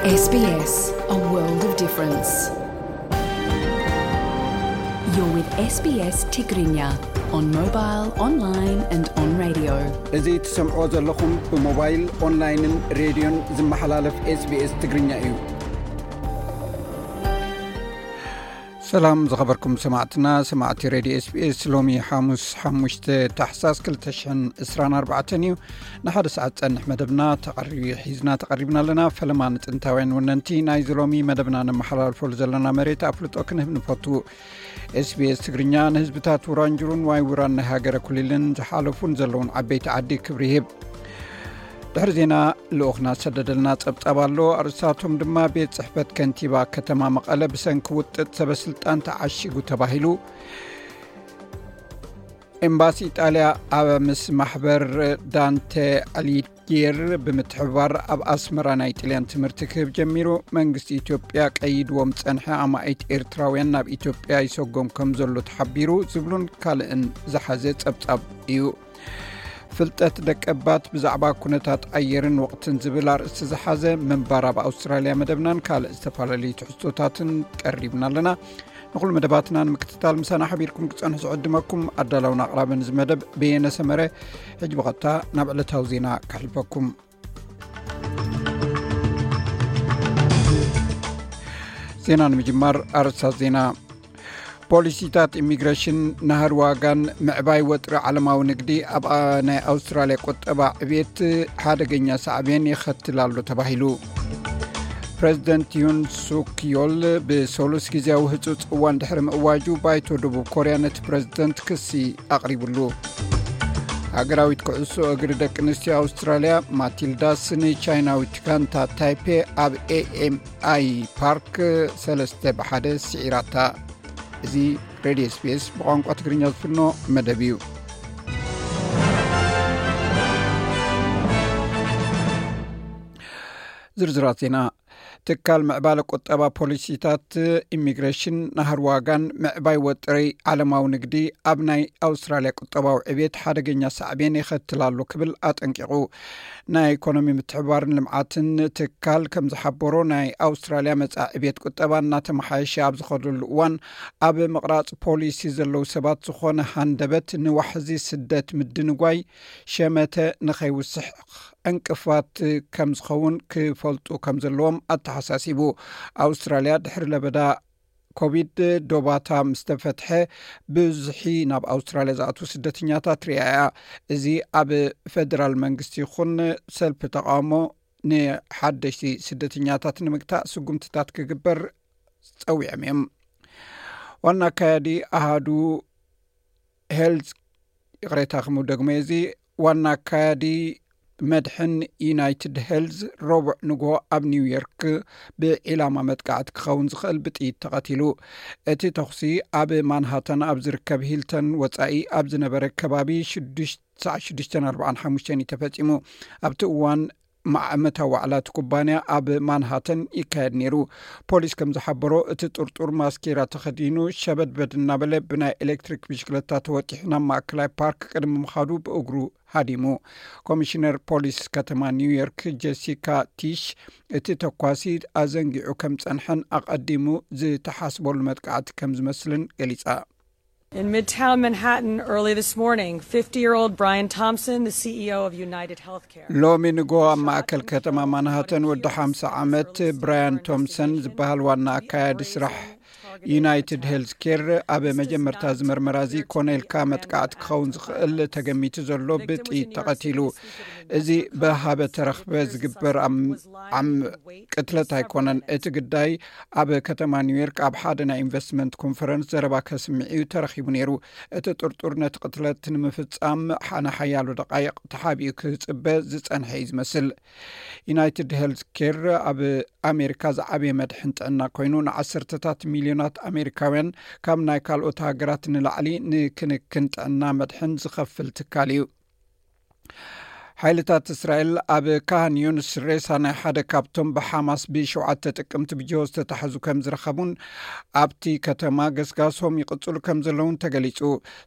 S B S, a world of difference. You're with S B S Tigrinya on mobile, online and on radio. እዚ ትሰምዕዎ ዘለኹም ብሞባይል፣ ኦንላይንን ሬድዮን ዝመሓላለፍ SBS ትግርኛ እዩ። ሰላም ዝኸበርኩም ሰማዕትና፣ ሰማዕቲ ሬድዮ SBS። ሎሚ ሓሙስ ሓሙሽተ ታሕሳስ ክልተ ሽሕን ዕስራን ኣርባዕተን እዩ። ንሓደ ሰዓት ጸንሕ መደብና ተቐሪ-፣ ሒዝና ተቐሪብና ኣለና። ፈለማ ንጥንታውያን ወነንቲ ናይዚ ሎሚ መደብና ነመሓላልፈሉ ዘለና መሬት ኣፍልጦ ክንህብ ንፈቱ። SBS ትግርኛ ንህዝብታት ውራንጅሩን ዋይ ውራን ናይ ሃገረ ኩሊልን ዝሓለፉን ዘለውን ዓበይቲ ዓዲ ክብሪ ይህብ። ድሕሪ ዜና ልኡኽና ዝሰደደልና ጸብጻብ ኣሎ። ኣርእስታቶም ድማ ቤት ጽሕፈት ከንቲባ ከተማ መቐለ ብሰንኪ ውጥጥ ሰበስልጣን ተዓሺጉ ተባሂሉ፣ ኤምባሲ ኢጣልያ ኣብ ምስ ማሕበር ዳንተ ኣሊጌር ብምትሕብባር ኣብ ኣስመራ ናይ ጥልያን ትምህርቲ ክህብ ጀሚሩ፣ መንግስቲ ኢትዮጵያ ቀይድዎም ዝጸንሐ ኣማኢት ኤርትራውያን ናብ ኢትዮጵያ ይሰጎም ከም ዘሎ ተሓቢሩ፣ ዝብሉን ካልእን ዝሓዘ ጸብጻብ እዩ። ፍልጠት ደቀባት ብዛዕባ ኩነታት ኣየርን ወቕትን ዝብል ኣርእስቲ ዝሓዘ ምንባር ኣብ ኣውስትራልያ መደብናን ካልእ ዝተፈላለዩ ትሕዝቶታትን ቀሪብና ኣለና። ንኹሉ መደባትና ንምክትታል ምሳና ሓቢርኩም ክጸንሑ ዝዕድመኩም ኣዳላውን ኣቕራብን እዚ መደብ በየነ ሰመረ። ሕጂ ብቐጥታ ናብ ዕለታዊ ዜና ከሕልፈኩም። ዜና ንምጅማር ኣርእስታት ዜና። ፖሊሲታት ኢሚግሬሽን፣ ናህሪ ዋጋን ምዕባይ ወጥሪ ዓለማዊ ንግዲ ኣብ ኣ-፣ ናይ ኣውስትራልያ ቁጠባ ዕብየት ሓደገኛ ሳዕቤን የኸትል ኣሎ ተባሂሉ። ፕሬዚደንት ዩን ሱክ ዮል ብሰሉስ ግዜያዊ ህጹጽ እዋን ድሕሪ ምእዋጁ፣ ባይቶ ደቡብ ኮርያ ነቲ ፕሬዚደንት ክሲ ኣቕሪብሉ። ሃገራዊት ኩዕሶ እግሪ ደቂ ኣንስትዮ ኣውስትራልያ ማቲልዳስ ንቻይናዊት ጋንታ ታይፔ ኣብ ኤኤምኣይ ፓርክ ሰለስተ ብሓደ ስዒራታ። እዚ ሬድዮ SBS ብቋንቋ ትግርኛ ዝፍኖ መደብ እዩ። ዝርዝራት ዜና። ትካል ምዕባለ ቁጠባ፣ ፖሊሲታት ኢሚግሬሽን፣ ናህሪ ዋጋን ምዕባይ ወጥሪ ዓለማዊ ንግዲ ኣብ ናይ ኣውስትራልያ ቁጠባዊ ዕብየት ሓደገኛ ሳዕቤን የኸትል ኣሎ ክብል ኣጠንቂቑ። ናይ ኢኮኖሚ ምትሕብባርን ልምዓትን ትካል ከም ዝሓበሮ፣ ናይ ኣውስትራልያ መጻኢ ዕብየት ቁጠባ እናተመሓየሸ ኣብ ዝኸደሉ እዋን፣ ኣብ ምቕራጽ ፖሊሲ ዘለዉ ሰባት ዝኾነ ሃንደበት ንዋሕዚ ስደት ምድንጓይ ሸመተ ንኸይውስኽ ዕንቅፋት ከም ዝኸውን ክፈልጡ ከም ዘለዎም ኣተሓሳሲቡ። ኣውስትራልያ ድሕሪ ለበዳ ኮቪድ ዶባታ ምስ ተፈትሐ፣ ብዝሒ ናብ ኣውስትራልያ ዝኣትዉ ስደተኛታት ርያ እያ። እዚ ኣብ ፌደራል መንግስቲ ይኹን ሰልፊ ተቃውሞ ንሓደሽቲ ስደተኛታት ንምግታእ ስጉምትታት ክግበር ጸዊዖም እዮም። ዋና ኣካያዲ ኣሃዱ ሄልዝ፣ ይቕሬታ፣ ክምደግሞ እዚ፣ ዋና ኣካያዲ መድሕን ዩናይትድ ሄልዝ፣ ረቡዕ ንግሆ ኣብ ኒውዮርክ ብዒላማ መጥቃዕቲ ክኸውን ዝኽእል ብጥይት ተቐቲሉ። እቲ ተኹሲ ኣብ ማንሃተን ኣብ ዝርከብ ሂልተን ወጻኢ ኣብ ዝነበረ ከባቢ ሽዱሽተ፣ ሰዓት ሽዱሽተ ኣርባዓን ሓሙሽተን እዩ ተፈጺሙ። ኣብቲ እዋን፣ ዓመታዊ ዋዕላ እቲ ኩባንያ ኣብ ማንሃተን ይካየድ ነይሩ። ፖሊስ ከም ዝሓበሮ፣ እቲ ጥርጡር ማስኬራ ተኸዲኑ፣ ሸበድበድ እናበለ ብናይ ኤሌክትሪክ ብሽክለታ ተወጢሑ ናብ ማእከላይ ፓርክ ቅድሚ ምኻዱ ብእግሩ ሃዲሙ። ኮሚሽነር ፖሊስ ከተማ ኒውዮርክ ጀሲካ ቲሽ፣ እቲ ተኳሲ ኣዘንጊዑ ከም ዝጸንሐን ኣቐዲሙ ዝተሓስበሉ መጥቃዕቲ ከም ዝመስልን ገሊጻ። In Midtown Manhattan early this morning, fifty-year-old Brian Thompson, the C E O of United Healthcare. ሎሚ ንጎ ኣብ ማእከል ከተማ ማንሃተን ወዲ ሓምሳ ዓመት ብራያን ቶምሰን ዝበሃል ዋና ኣካያዲ ስራሕ ዩናይትድ ሄልዝ ኬር፣ ኣብ መጀመርታ እዚ መርመራ እዚ ኮነ ኢልካ መጥቃዕቲ ክኸውን ዝኽእል ተገሚቱ ዘሎ ብጥይት ተቐቲሉ። እዚ ብሃበ ተረኽበ ዝግበር ኣም-፣ ዓም-፣ ቅትለት ኣይኮነን። እቲ ግዳይ ኣብ ከተማ ኒውዮርክ ኣብ ሓደ ናይ ኢንቨስትመንት ኮንፈረንስ ዘረባ ከስምዕ እዩ ተረኺቡ ነይሩ። እቲ ጥርጡር ነቲ ቅትለት ንምፍጻም ሓ-፣ ንሓያሎ ደቃይቕ ተሓቢኡ ክጽበ ዝጸንሐ እዩ ዝመስል። ዩናይትድ ሄልዝ ኬር ኣብ ኣሜሪካ ዝዓበየ መድሕን ጥዕና ኮይኑ፣ ንዓሰርተታት ሚልዮናት ኣሜሪካውያን ካብ ናይ ካልኦት ሃገራት ንላዕሊ ንክንክን ጥዕና መድሕን ዝኸፍል ትካል እዩ። ሓይልታት እስራኤል ኣብ ካህን ዮንስ ሬሳ ናይ ሓደ ካብቶም ብሓማስ ብሸውዓተ ጥቅምቲ ብጅሆ ዝተታሕዙ ከም ዝረኸቡን ኣብቲ ከተማ ገስጋሶም ይቕጽሉ ከም ዘለውን ተገሊጹ።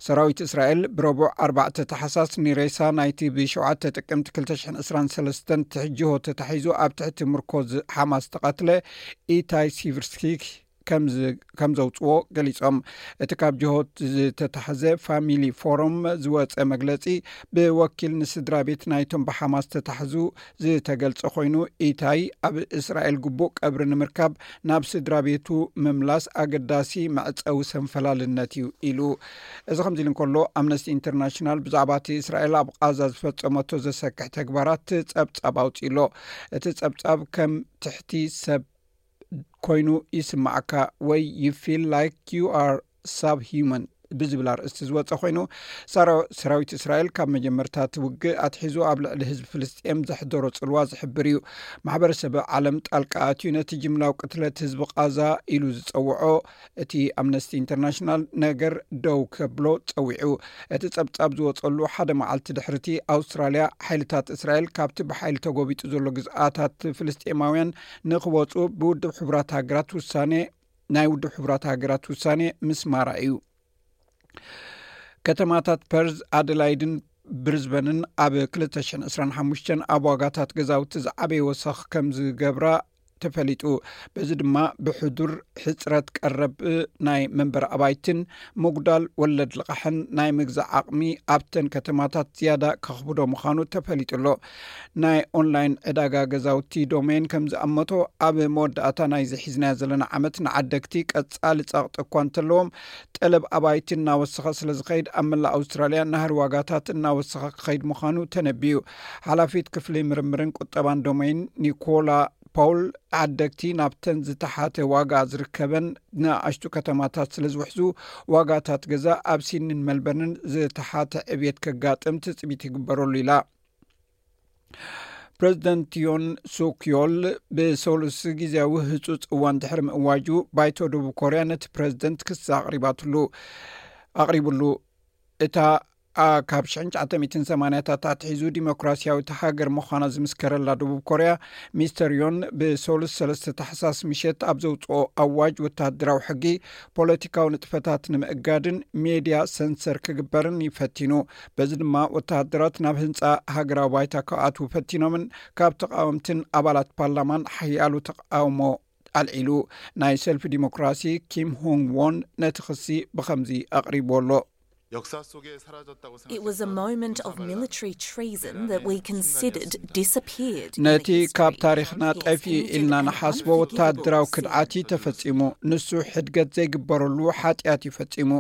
ሰራዊት እስራኤል ብረቡዕ ኣርባዕተ ተሓሳስ ንሬሳ ናይቲ ብሸውዓተ ጥቅምቲ ክልተ ሽሕን ዕስራን ሰለስተን ትሕጅሆ ተታሒዙ ኣብ ትሕቲ ምርኮዝ ሓማስ ተቐትለ ኢታይ ሲቭርስኪ ከም ዘውፅዎ ገሊፆም። እቲ ካብ ጅሆት ዝተታሕዘ ፋሚሊ ፎረም ዝወፀ መግለፂ ብወኪል ንስድራ ቤት ናይቶም ብሓማስ ዝተታሕዙ ዝተገልጸ ኮይኑ፣ ኢታይ ኣብ እስራኤል ግቡእ ቀብሪ ንምርካብ ናብ ስድራ ቤቱ ምምላስ ኣገዳሲ መዕጸዊ ሰንፈላልነት እዩ ኢሉ። እዚ ከምዚ ኢሉ እንከሎ፣ ኣምነስቲ ኢንተርናሽናል ብዛዕባ እቲ እስራኤል ኣብ ቓዛ ዝፈጸመቶ ዘሰክሕ ተግባራት ጸብጻብ ኣውጺእሎ። እቲ ጸብጻብ ከም ትሕቲ ሰብ ኮይኑ ይስማዓካ ወይ you feel like you are subhuman ብዝብል ኣርእስቲ ዝወፀ ኮይኑ፣ ሰራዊት እስራኤል ካብ መጀመርታ እቲ ውግእ ኣትሒዙ ኣብ ልዕሊ ህዝቢ ፍልስጤም ዘሕደሮ ፅልዋ ዝሕብር እዩ። ማሕበረሰብ ዓለም ጣልቃ ኣትዩ ነቲ ጅምላዊ ቅትለት ህዝቢ ቃዛ ኢሉ ዝፀውዖ እቲ ኣምነስቲ ኢንተርናሽናል ነገር ደው ከብሎ ፀዊዑ። እቲ ጸብጻብ ዝወጸሉ ሓደ መዓልቲ ድሕርቲ ኣውስትራልያ ሓይልታት እስራኤል ካብቲ ብሓይሊ ተጎቢጡ ዘሎ ግዝኣታት ፍልስጤማውያን ንክወፁ ብውድብ ሕቡራት ሃገራት ውሳኔ ናይ ውድብ ሕቡራት ሃገራት ውሳኔ ምስማራ እዩ። ከተማታት ፐርዝ፣ ኣደላይድን ብሪዝበንን ኣብ ክልተ ሽሕን ዕስራን ሓሙሽተን ኣብ ዋጋታት ገዛውቲ ዝዓበየ ወሰኽ ከም ዝገብራ ተፈሊጡ። በዚ ድማ ብሕዱር ሕፅረት ቀረብ ናይ መንበር ኣባይትን ምጉዳል ወለድ ልቓሕን ናይ ምግዛእ ዓቕሚ ኣብተን ከተማታት ዝያዳ ከኽብዶ ምዃኑ ተፈሊጡ ኣሎ። ናይ ኦንላይን ዕዳጋ ገዛውቲ ዶሜን ከም ዝኣመቶ፣ ኣብ መወዳእታ ናይዚ ሒዝናዮ ዘለና ዓመት ንዓደግቲ ቀጻሊ ጸቕጢ እኳ እንተለዎም፣ ጠለብ ኣባይቲ እናወሰኸ ስለ ዝኸይድ ኣብ መላእ ኣውስትራልያ ናህሪ ዋጋታት እናወሰኸ ክኸይድ ምዃኑ ተነቢዩ። ሓላፊት ክፍሊ ምርምርን ቁጠባን ዶሜን ኒኮላ ፓውል፣ ዓደግቲ ናብተን ዝተሓተ ዋጋ ዝርከበን ንኣሽቱ ከተማታት ስለ ዝውሕዙ፣ ዋጋታት ገዛ ኣብ ሲድኒን መልበርንን ዝተሓተ ዕብየት ከጋጥም ትጽቢት ይግበረሉ ኢላ። ፕሬዚደንት ዮን ሱክ ዮል ብሰሉስ ግዜያዊ ህጹጽ እዋን ድሕሪ ምእዋጁ፣ ባይቶ ደቡብ ኮርያ ነቲ ፕሬዚደንት ክሲ ኣቕሪባትሉ ኣቕሪብሉ። እታ ኣ- ካብ ሽሕን ትሽዓተ ሚእትን ሰማንያታት ኣትሒዙ ዲሞክራሲያዊት ሃገር ምዃና ዝምስከረላ ደቡብ ኮርያ፣ ሚስተር ዮን ብሰሉስ ሰለስተ ታሕሳስ ምሸት ኣብ ዘውፅኦ ኣዋጅ ወታደራዊ ሕጊ፣ ፖለቲካዊ ንጥፈታት ንምእጋድን ሜድያ ሰንሰር ክግበርን ይፈቲኑ። በዚ ድማ ወታደራት ናብ ህንፃ ሃገራዊ ባይታ ክኣትዉ ፈቲኖምን ካብ ተቃወምትን ኣባላት ፓርላማን ሓያሉ ተቃውሞ ኣልዒሉ። ናይ ሰልፊ ዲሞክራሲ ኪም ሆንግ ዎን ነቲ ክሲ ብኸምዚ ኣቕሪብዎ ኣሎ። It was a moment of military treason that we considered disappeared. ነቲ ካብ ታሪኽና ጠፊኡ ኢልና ንሓስቦ ወታደራዊ ክድዓት እዩ ተፈጺሙ። ንሱ ሕድገት ዘይግበረሉ ሓጢኣት እዩ ፈጺሙ።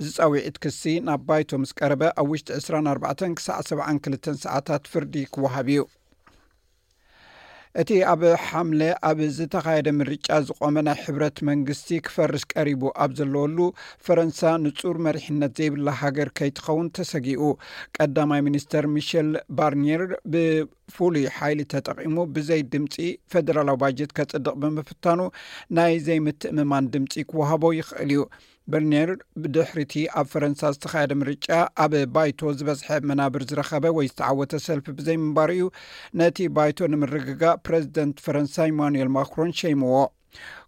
እዚ ጻውዒት ክሲ ናብ ባይቶ ምስ ቀረበ፣ ኣብ ውሽጢ ዕስራን ኣርባዕተን ክሳዕ ሰብዓን ክልተን ሰዓታት ፍርዲ ክወሃብ እዩ። እቲ ኣብ ሓምለ ኣብ ዝተኻየደ ምርጫ ዝቖመ ናይ ሕብረት መንግስቲ ክፈርስ ቀሪቡ ኣብ ዘለወሉ፣ ፈረንሳ ንጹር መሪሕነት ዘይብላ ሃገር ከይትኸውን ተሰጊኡ። ቀዳማይ ሚኒስተር ሚሸል ባርኒየር ብፍሉይ ሓይሊ ተጠቒሙ ብዘይ ድምጺ ፈደራላዊ ባጀት ከጽድቕ ብምፍታኑ፣ ናይ ዘይምትእምማን ድምጺ ክወሃቦ ይኽእል እዩ። በርኒየር ብድሕሪቲ ኣብ ፈረንሳ ዝተኻየደ ምርጫ ኣብ ባይቶ ዝበዝሐ መናብር ዝረኸበ ወይ ዝተዓወተ ሰልፊ ብዘይምንባሩ እዩ ነቲ ባይቶ ንምርግጋእ ፕረዚደንት ፈረንሳ ኢማኑኤል ማክሮን ሸይምዎ።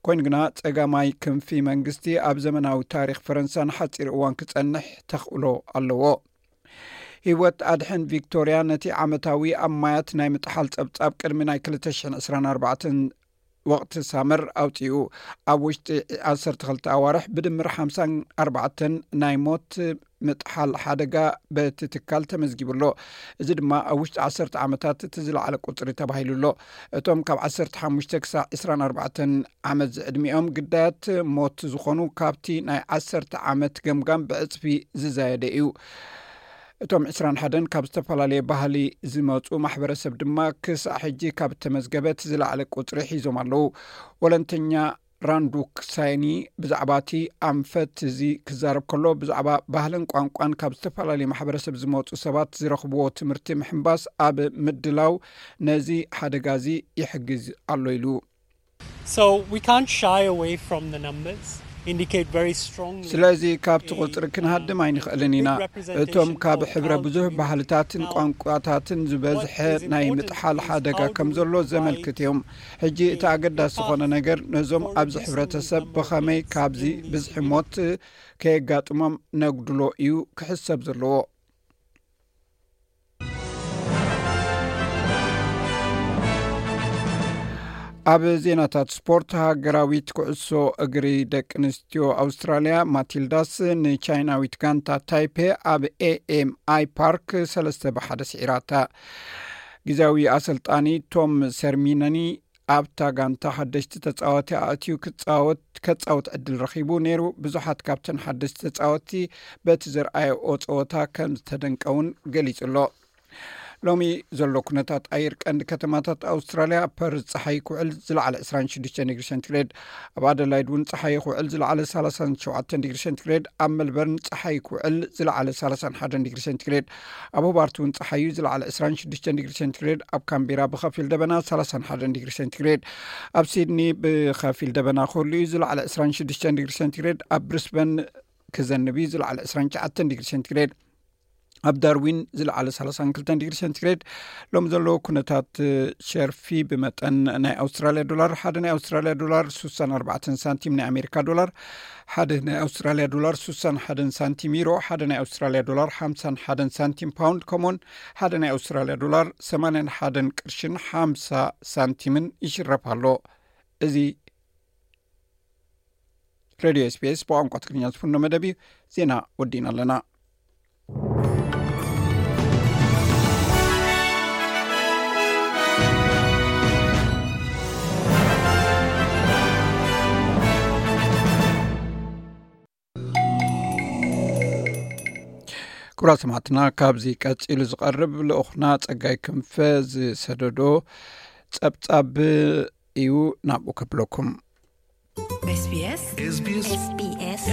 ኮይኑ ግና ጸጋማይ ክንፊ መንግስቲ ኣብ ዘመናዊ ታሪኽ ፈረንሳ ንሓጺር እዋን ክጸንሕ ተኽእሎ ኣለዎ። ህይወት ኣድሕን ቪክቶርያ ነቲ ዓመታዊ ኣብ ማያት ናይ ምጥሓል ጸብጻብ ቅድሚ ናይ ክልተ ሽሕን ዕስራን ኣርባዕተን ወቕቲ ሳመር ኣውጺኡ። ኣብ ውሽጢ ዓሰርተ ክልተ ኣዋርሕ ብድምር ሓምሳን ኣርባዕተን ናይ ሞት ምጥሓል ሓደጋ በቲ ትካል ተመዝጊቡ ኣሎ። እዚ ድማ ኣብ ውሽጢ ዓሰርተ ዓመታት እቲ ዝለዓለ ቁጽሪ ተባሂሉ ኣሎ። እቶም ካብ ዓሰርተ ሓሙሽተ ክሳዕ ዕስራን ኣርባዕተን ዓመት ዝዕድሚኦም ግዳያት ሞት ዝኾኑ ካብቲ ናይ ዓሰርተ ዓመት ገምጋም ብዕጽፊ ዝዛየደ እዩ። እቶም ዕስራን ሓደን ካብ ዝተፈላለየ ባህሊ ዝመጹ ማሕበረሰብ ድማ ክሳዕ ሕጂ ካብ እተመዝገበ እቲ ዝለዓለ ቁጽሪ ሒዞም ኣለዉ። ወለንተኛ ራንዱክ ሳይኒ ብዛዕባ እቲ ኣንፈት እዚ ክዛረብ ከሎ፣ ብዛዕባ ባህልን ቋንቋን ካብ ዝተፈላለየ ማሕበረሰብ ዝመጹ ሰባት ዝረኽብዎ ትምህርቲ ምሕንባስ ኣብ ምድላው ነዚ ሓደጋ እዚ ይሕግዝ ኣሎ ኢሉ። So we can't shy away from the numbers. ስለዚ ካብቲ ቁፅሪ ክንሃድም ኣይንኽእልን ኢና። እቶም ካብ ሕብረ ብዙሕ ባህልታትን ቋንቋታትን ዝበዝሐ ናይ ምጥሓል ሓደጋ ከም ዘሎ ዘመልክት እዮም። ሕጂ እቲ ኣገዳሲ ዝኾነ ነገር ነዞም ኣብዚ ሕብረተሰብ ብኸመይ ካብዚ ብዝሒ ሞት ከየጋጥሞም ነጉድሎ እዩ ክሕሰብ ዘለዎ። ኣብ ዜናታት ስፖርት፣ ሃገራዊት ኩዕሶ እግሪ ደቂ ኣንስትዮ ኣውስትራልያ ማቲልዳስ ንቻይናዊት ጋንታ ታይፔ ኣብ ኤኤምኣይ ፓርክ ሰለስተ ብሓደ ስዒራታ። ግዜያዊ ኣሰልጣኒ ቶም ሰርሚነኒ ኣብታ ጋንታ ሓደሽቲ ተጻወቲ ኣእትዩ ክጻወት ከጻወት ዕድል ረኺቡ ነይሩ። ብዙሓት ካብተን ሓደሽቲ ተጻወቲ በቲ ዘርኣየኦ ጸወታ ከም ዝተደንቀ እውን ገሊጹ ኣሎ። ሎሚ ዘሎ ኩነታት ኣየር ቀንዲ ከተማታት ኣውስትራልያ፣ ፐርዝ ጸሓይ ክውዕል ዝለዓለ ዕስራን ሽዱሽተን ዲግሪ ሴንቲግሬድ፣ ኣብ ኣደላይድ እውን ጸሓይ ክውዕል ዝለዓለ ሰላሳን ሸውዓተን ዲግሪ ሴንቲግሬድ፣ ኣብ ሜልበርን ጸሓይ ክውዕል ዝለዓለ ሰላሳን ሓደን ዲግሪ ሴንቲግሬድ፣ ኣብ ሆባርት እውን ጸሓይ እዩ ዝለዓለ ዕስራን ሽዱሽተን ዲግሪ ሴንቲግሬድ፣ ኣብ ካምቤራ ብኸፊል ደበና ሰላሳን ሓደን ዲግሪ ሴንቲግሬድ፣ ኣብ ሲድኒ ብኸፊል ደበና ክህሉ እዩ ዝለዓለ ዕስራን ሽዱሽተን ዲግሪ ሴንቲግሬድ፣ ኣብ ብሪስበን ክዘንብ እዩ ዝለዓለ ዕስራን ትሽዓተን ዲግሪ ሴንቲግሬድ፣ ኣብ ዳርዊን ዝለዓለ ሰላሳን ክልተን ዲግሪ ሴንቲግሬድ። ሎም ዘለዉ ኩነታት ሸርፊ ብመጠን ናይ ኣውስትራልያ ዶላር፣ ሓደ ናይ ኣውስትራልያ ዶላር ስሳን ኣርባዕተን ሳንቲም፣ ናይ ኣሜሪካ ዶላር ሓደ ናይ ኣውስትራልያ ዶላር ስሳን ሓደን ሳንቲም፣ ዩሮ ሓደ ናይ ኣውስትራልያ ዶላር ሓምሳን ሓደን ሳንቲም፣ ፓውንድ ከምኡውን ሓደ ናይ ኣውስትራልያ ዶላር ሰማንያን ሓደን ቅርሽን ሓምሳ ሳንቲምን ይሽረፍ ኣሎ። እዚ ሬድዮ ኤስቢኤስ ብቋንቋ ትግርኛ ዝፍኖ መደብ እዩ። ዜና ወዲእና ኣለና። ክቡራት ሰማዕትና፣ ካብዚ ቀጺሉ ዝቐርብ ልኡኽና ጸጋይ ክንፈ ዝሰደዶ ጸብጻብ እዩ፣ ናብኡ ከብለኩም። SBS SBS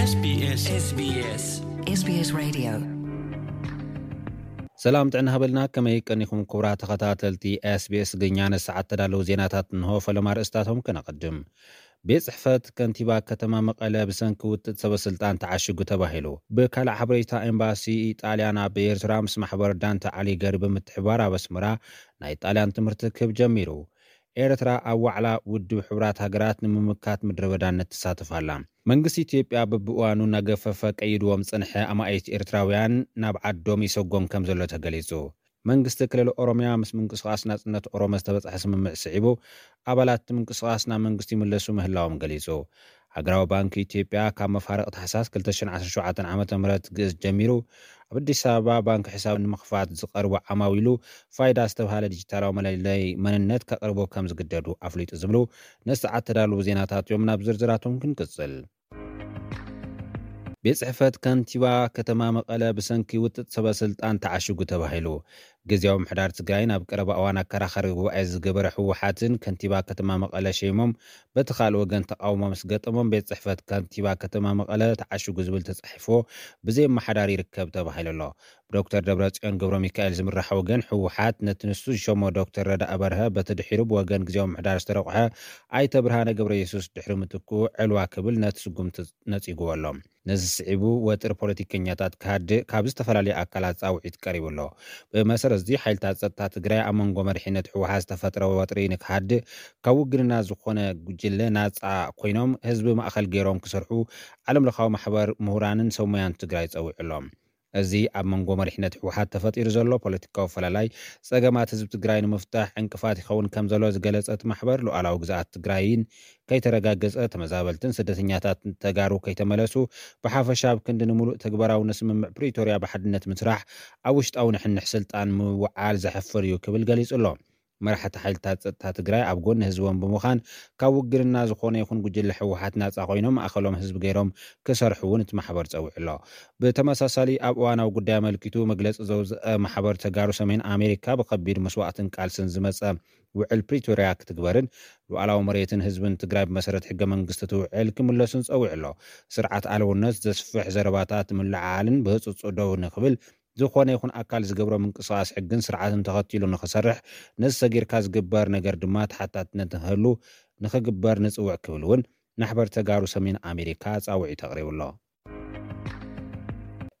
SBS SBS SBS Radio። ሰላም ጥዕና ሃበልና፣ ከመይ ቀኒኹም ክቡራት ተኸታተልቲ SBS ትግርኛ? ንሰዓት ተዳለዉ ዜናታት እንሆ። ፈለማ ርእስታቶም ከነቐድም። ቤት ጽሕፈት ከንቲባ ከተማ መቐለ ብሰንኪ ውጥጥ ሰበ ስልጣን ተዓሽጉ ተባሂሉ። ብካልእ ሓበሬታ፣ ኤምባሲ ጣልያን ኣብ ኤርትራ ምስ ማሕበር ዳንተ ኣሊገሪ ብምትሕባር ኣብ ኣስመራ ናይ ጣልያን ትምህርቲ ክህብ ጀሚሩ። ኤርትራ ኣብ ዋዕላ ውድብ ሕቡራት ሃገራት ንምምካት ምድረ በዳነት ትሳተፍ ኣላ። መንግስቲ ኢትዮጵያ በብእዋኑ እናገፈፈ ቀይድዎም ዝጸንሐ ኣማኢት ኤርትራውያን ናብ ዓዶም ይሰጎም ከም ዘሎ ተገሊጹ። መንግስቲ ክልል ኦሮምያ ምስ ምንቅስቓስ ናጽነት ኦሮሞ ዝተበጽሐ ስምምዕ ስዒቡ፣ ኣባላት እቲ ምንቅስቓስ ናብ መንግስቲ ይምለሱ ምህላዎም ገሊጹ። ሃገራዊ ባንኪ ኢትዮጵያ ካብ መፋርቕ ታሕሳስ ክልተ ሽሕን ዓሰርተ ሸውዓተን ዓመተ ምህረት ግእዝ ጀሚሩ፣ ኣብ ኣዲስ ኣበባ ባንኪ ሕሳብ ንምኽፋት ዝቐርቡ ዓማዊሉ ፋይዳ ዝተብሃለ ዲጂታላዊ መለለይ መንነት ከቕርቡ ከም ዝግደዱ ኣፍሊጡ ዝብሉ ንሰዓት ተዳለዉ ዜናታት እዮም። ናብ ዝርዝራቶም ክንቅጽል። ቤት ጽሕፈት ከንቲባ ከተማ መቐለ ብሰንኪ ውጥጥ ሰበ ስልጣን ተዓሽጉ ተባሂሉ። ግዝያዊ ምሕዳር ትግራይ ናብ ቀረባ እዋን ኣከራኻሪ ጉባኤ ዝገበረ ህወሓትን ከንቲባ ከተማ መቐለ ሸይሞም፣ በቲ ካልእ ወገን ተቃውሞ ምስ ገጠሞም፣ ቤት ጽሕፈት ከንቲባ ከተማ መቐለ ተዓሽጉ ዝብል ተጻሒፎ ብዘይ ኣመሓዳሪ ይርከብ ተባሂሉ ኣሎ። ብዶክተር ደብረጽዮን ገብረ ሚካኤል ዝምራሕ ወገን ህወሓት ነቲ ንሱ ዝሸሞ ዶክተር ረዳኢ በርሀ፣ በቲ ድሒሩ ብወገን ግዝያዊ ምሕዳር ዝተረቑሐ ኣይተ ብርሃነ ገብረ የሱስ ድሕሪ ምትክኡ ዕልዋ ክብል ነቲ ስጉምቲ ነጺግዎ ኣሎ። ነዚ ስዒቡ ወጥሪ ፖለቲከኛታት ክሃድእ ካብ ዝተፈላለዩ ኣካላት ጻውዒት ቀሪቡ ኣሎ። ብመሰረት እዚ ሓይልታት ጸጥታ ትግራይ ኣብ መንጎ መሪሕነት ህወሓት ዝተፈጥረ ወጥሪ ንክሃድእ ካብ ውግንና ዝኾነ ጉጅለ ናጻ ኮይኖም ህዝቢ ማእኸል ገይሮም ክሰርሑ ዓለም ለኻዊ ማሕበር ምሁራንን ሰብ ሞያን ትግራይ ጸዊዑ ኣሎ። እዚ ኣብ መንጎ መሪሕነት ህወሓት ተፈጢሩ ዘሎ ፖለቲካዊ ፈላላይ ጸገማት ህዝቢ ትግራይ ንምፍታሕ ዕንቅፋት ይኸውን ከም ዘሎ ዝገለጸ እቲ ማሕበር፣ ሉዓላዊ ግዝኣት ትግራይን ከይተረጋገጸ፣ ተመዛበልትን ስደተኛታትን ተጋሩ ከይተመለሱ፣ ብሓፈሻ ኣብ ክንዲ ንምሉእ ተግባራዊ ንስምምዕ ፕሪቶርያ ብሓድነት ምስራሕ ኣብ ውሽጣዊ ንሕንሕ ስልጣን ምውዓል ዘሕፍር እዩ ክብል ገሊጹ ኣሎ። መራሕቲ ሓይልታት ጸጥታ ትግራይ ኣብ ጎኒ ህዝቦም ብምዃን ካብ ውግንና ዝኾነ ይኹን ጉጅለ ህወሓት ናጻ ኮይኖም ማእኸሎም ህዝቢ ገይሮም ክሰርሑ እውን እቲ ማሕበር ጸዊዑ ኣሎ። ብተመሳሳሊ ኣብ እዋናዊ ጉዳይ ኣመልኪቱ መግለጺ ዘውፅአ ማሕበር ተጋሩ ሰሜን ኣሜሪካ ብከቢድ መስዋእትን ቃልስን ዝመጸ ውዕል ፕሪቶርያ ክትግበርን ሉዓላዊ መሬትን ህዝብን ትግራይ ብመሰረት ሕገ መንግስቲ እቲ ውዕል ክምለሱን ጸዊዑ ኣሎ። ስርዓት ኣልውነት ዘስፍሕ ዘረባታት ምልዓዓልን ብህፁፅ ደው ንክብል ዝኾነ ይኹን ኣካል ዝገብሮ ምንቅስቓስ ሕግን ስርዓትን ተኸቲሉ ንኽሰርሕ፣ ነዚ ሰጊርካ ዝግበር ነገር ድማ ተሓታትነት ንክህሉ ንኽግበር ንፅውዕ ክብል እውን ማሕበር ተጋሩ ሰሜን ኣሜሪካ ጻውዒት ኣቕሪቡ ኣሎ።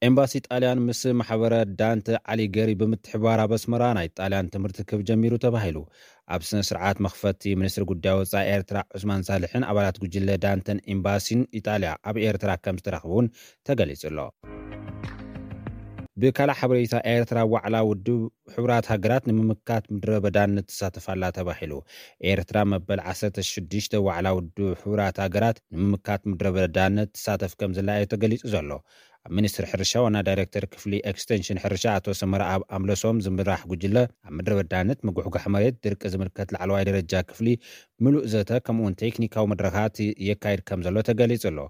ኤምባሲ ጣልያን ምስ ማሕበረ ዳንተ ኣሊገሪ ብምትሕብባር ኣብ ኣስመራ ናይ ጣልያን ትምህርቲ ክህብ ጀሚሩ ተባሂሉ። ኣብ ስነ ስርዓት መኽፈቲ፣ ሚኒስትሪ ጉዳይ ወጻኢ ኤርትራ ዑስማን ሳልሕን ኣባላት ጉጅለ ዳንተን ኤምባሲን ኢጣልያ ኣብ ኤርትራ ከም ዝተረኽቡ እውን ተገሊጹ ኣሎ። ብካልእ ሓበሬታ፣ ኤርትራ ዋዕላ ውድብ ሕቡራት ሃገራት ንምምካት ምድረ በዳነት ትሳተፍ ኣላ ተባሂሉ። ኤርትራ መበል ዓሰርተ ሽዱሽተ ዋዕላ ውድብ ሕቡራት ሃገራት ንምምካት ምድረ በዳነት ትሳተፍ ከም ዘላ እዩ ተገሊጹ ዘሎ። ኣብ ሚኒስትሪ ሕርሻ ዋና ዳይሬክተር ክፍሊ ኤክስቴንሽን ሕርሻ ኣቶ ሰመረ ኣብ ኣምለሶም ዝምራሕ ጉጅለ፣ ኣብ ምድረ በዳነት፣ ምጉሕጓሕ መሬት፣ ድርቂ ዝምልከት ላዕለዋይ ደረጃ ክፍሊ ምሉእ ዘተ ከምኡውን ቴክኒካዊ መድረኻት የካይድ ከም ዘሎ ተገሊጹ ኣሎ።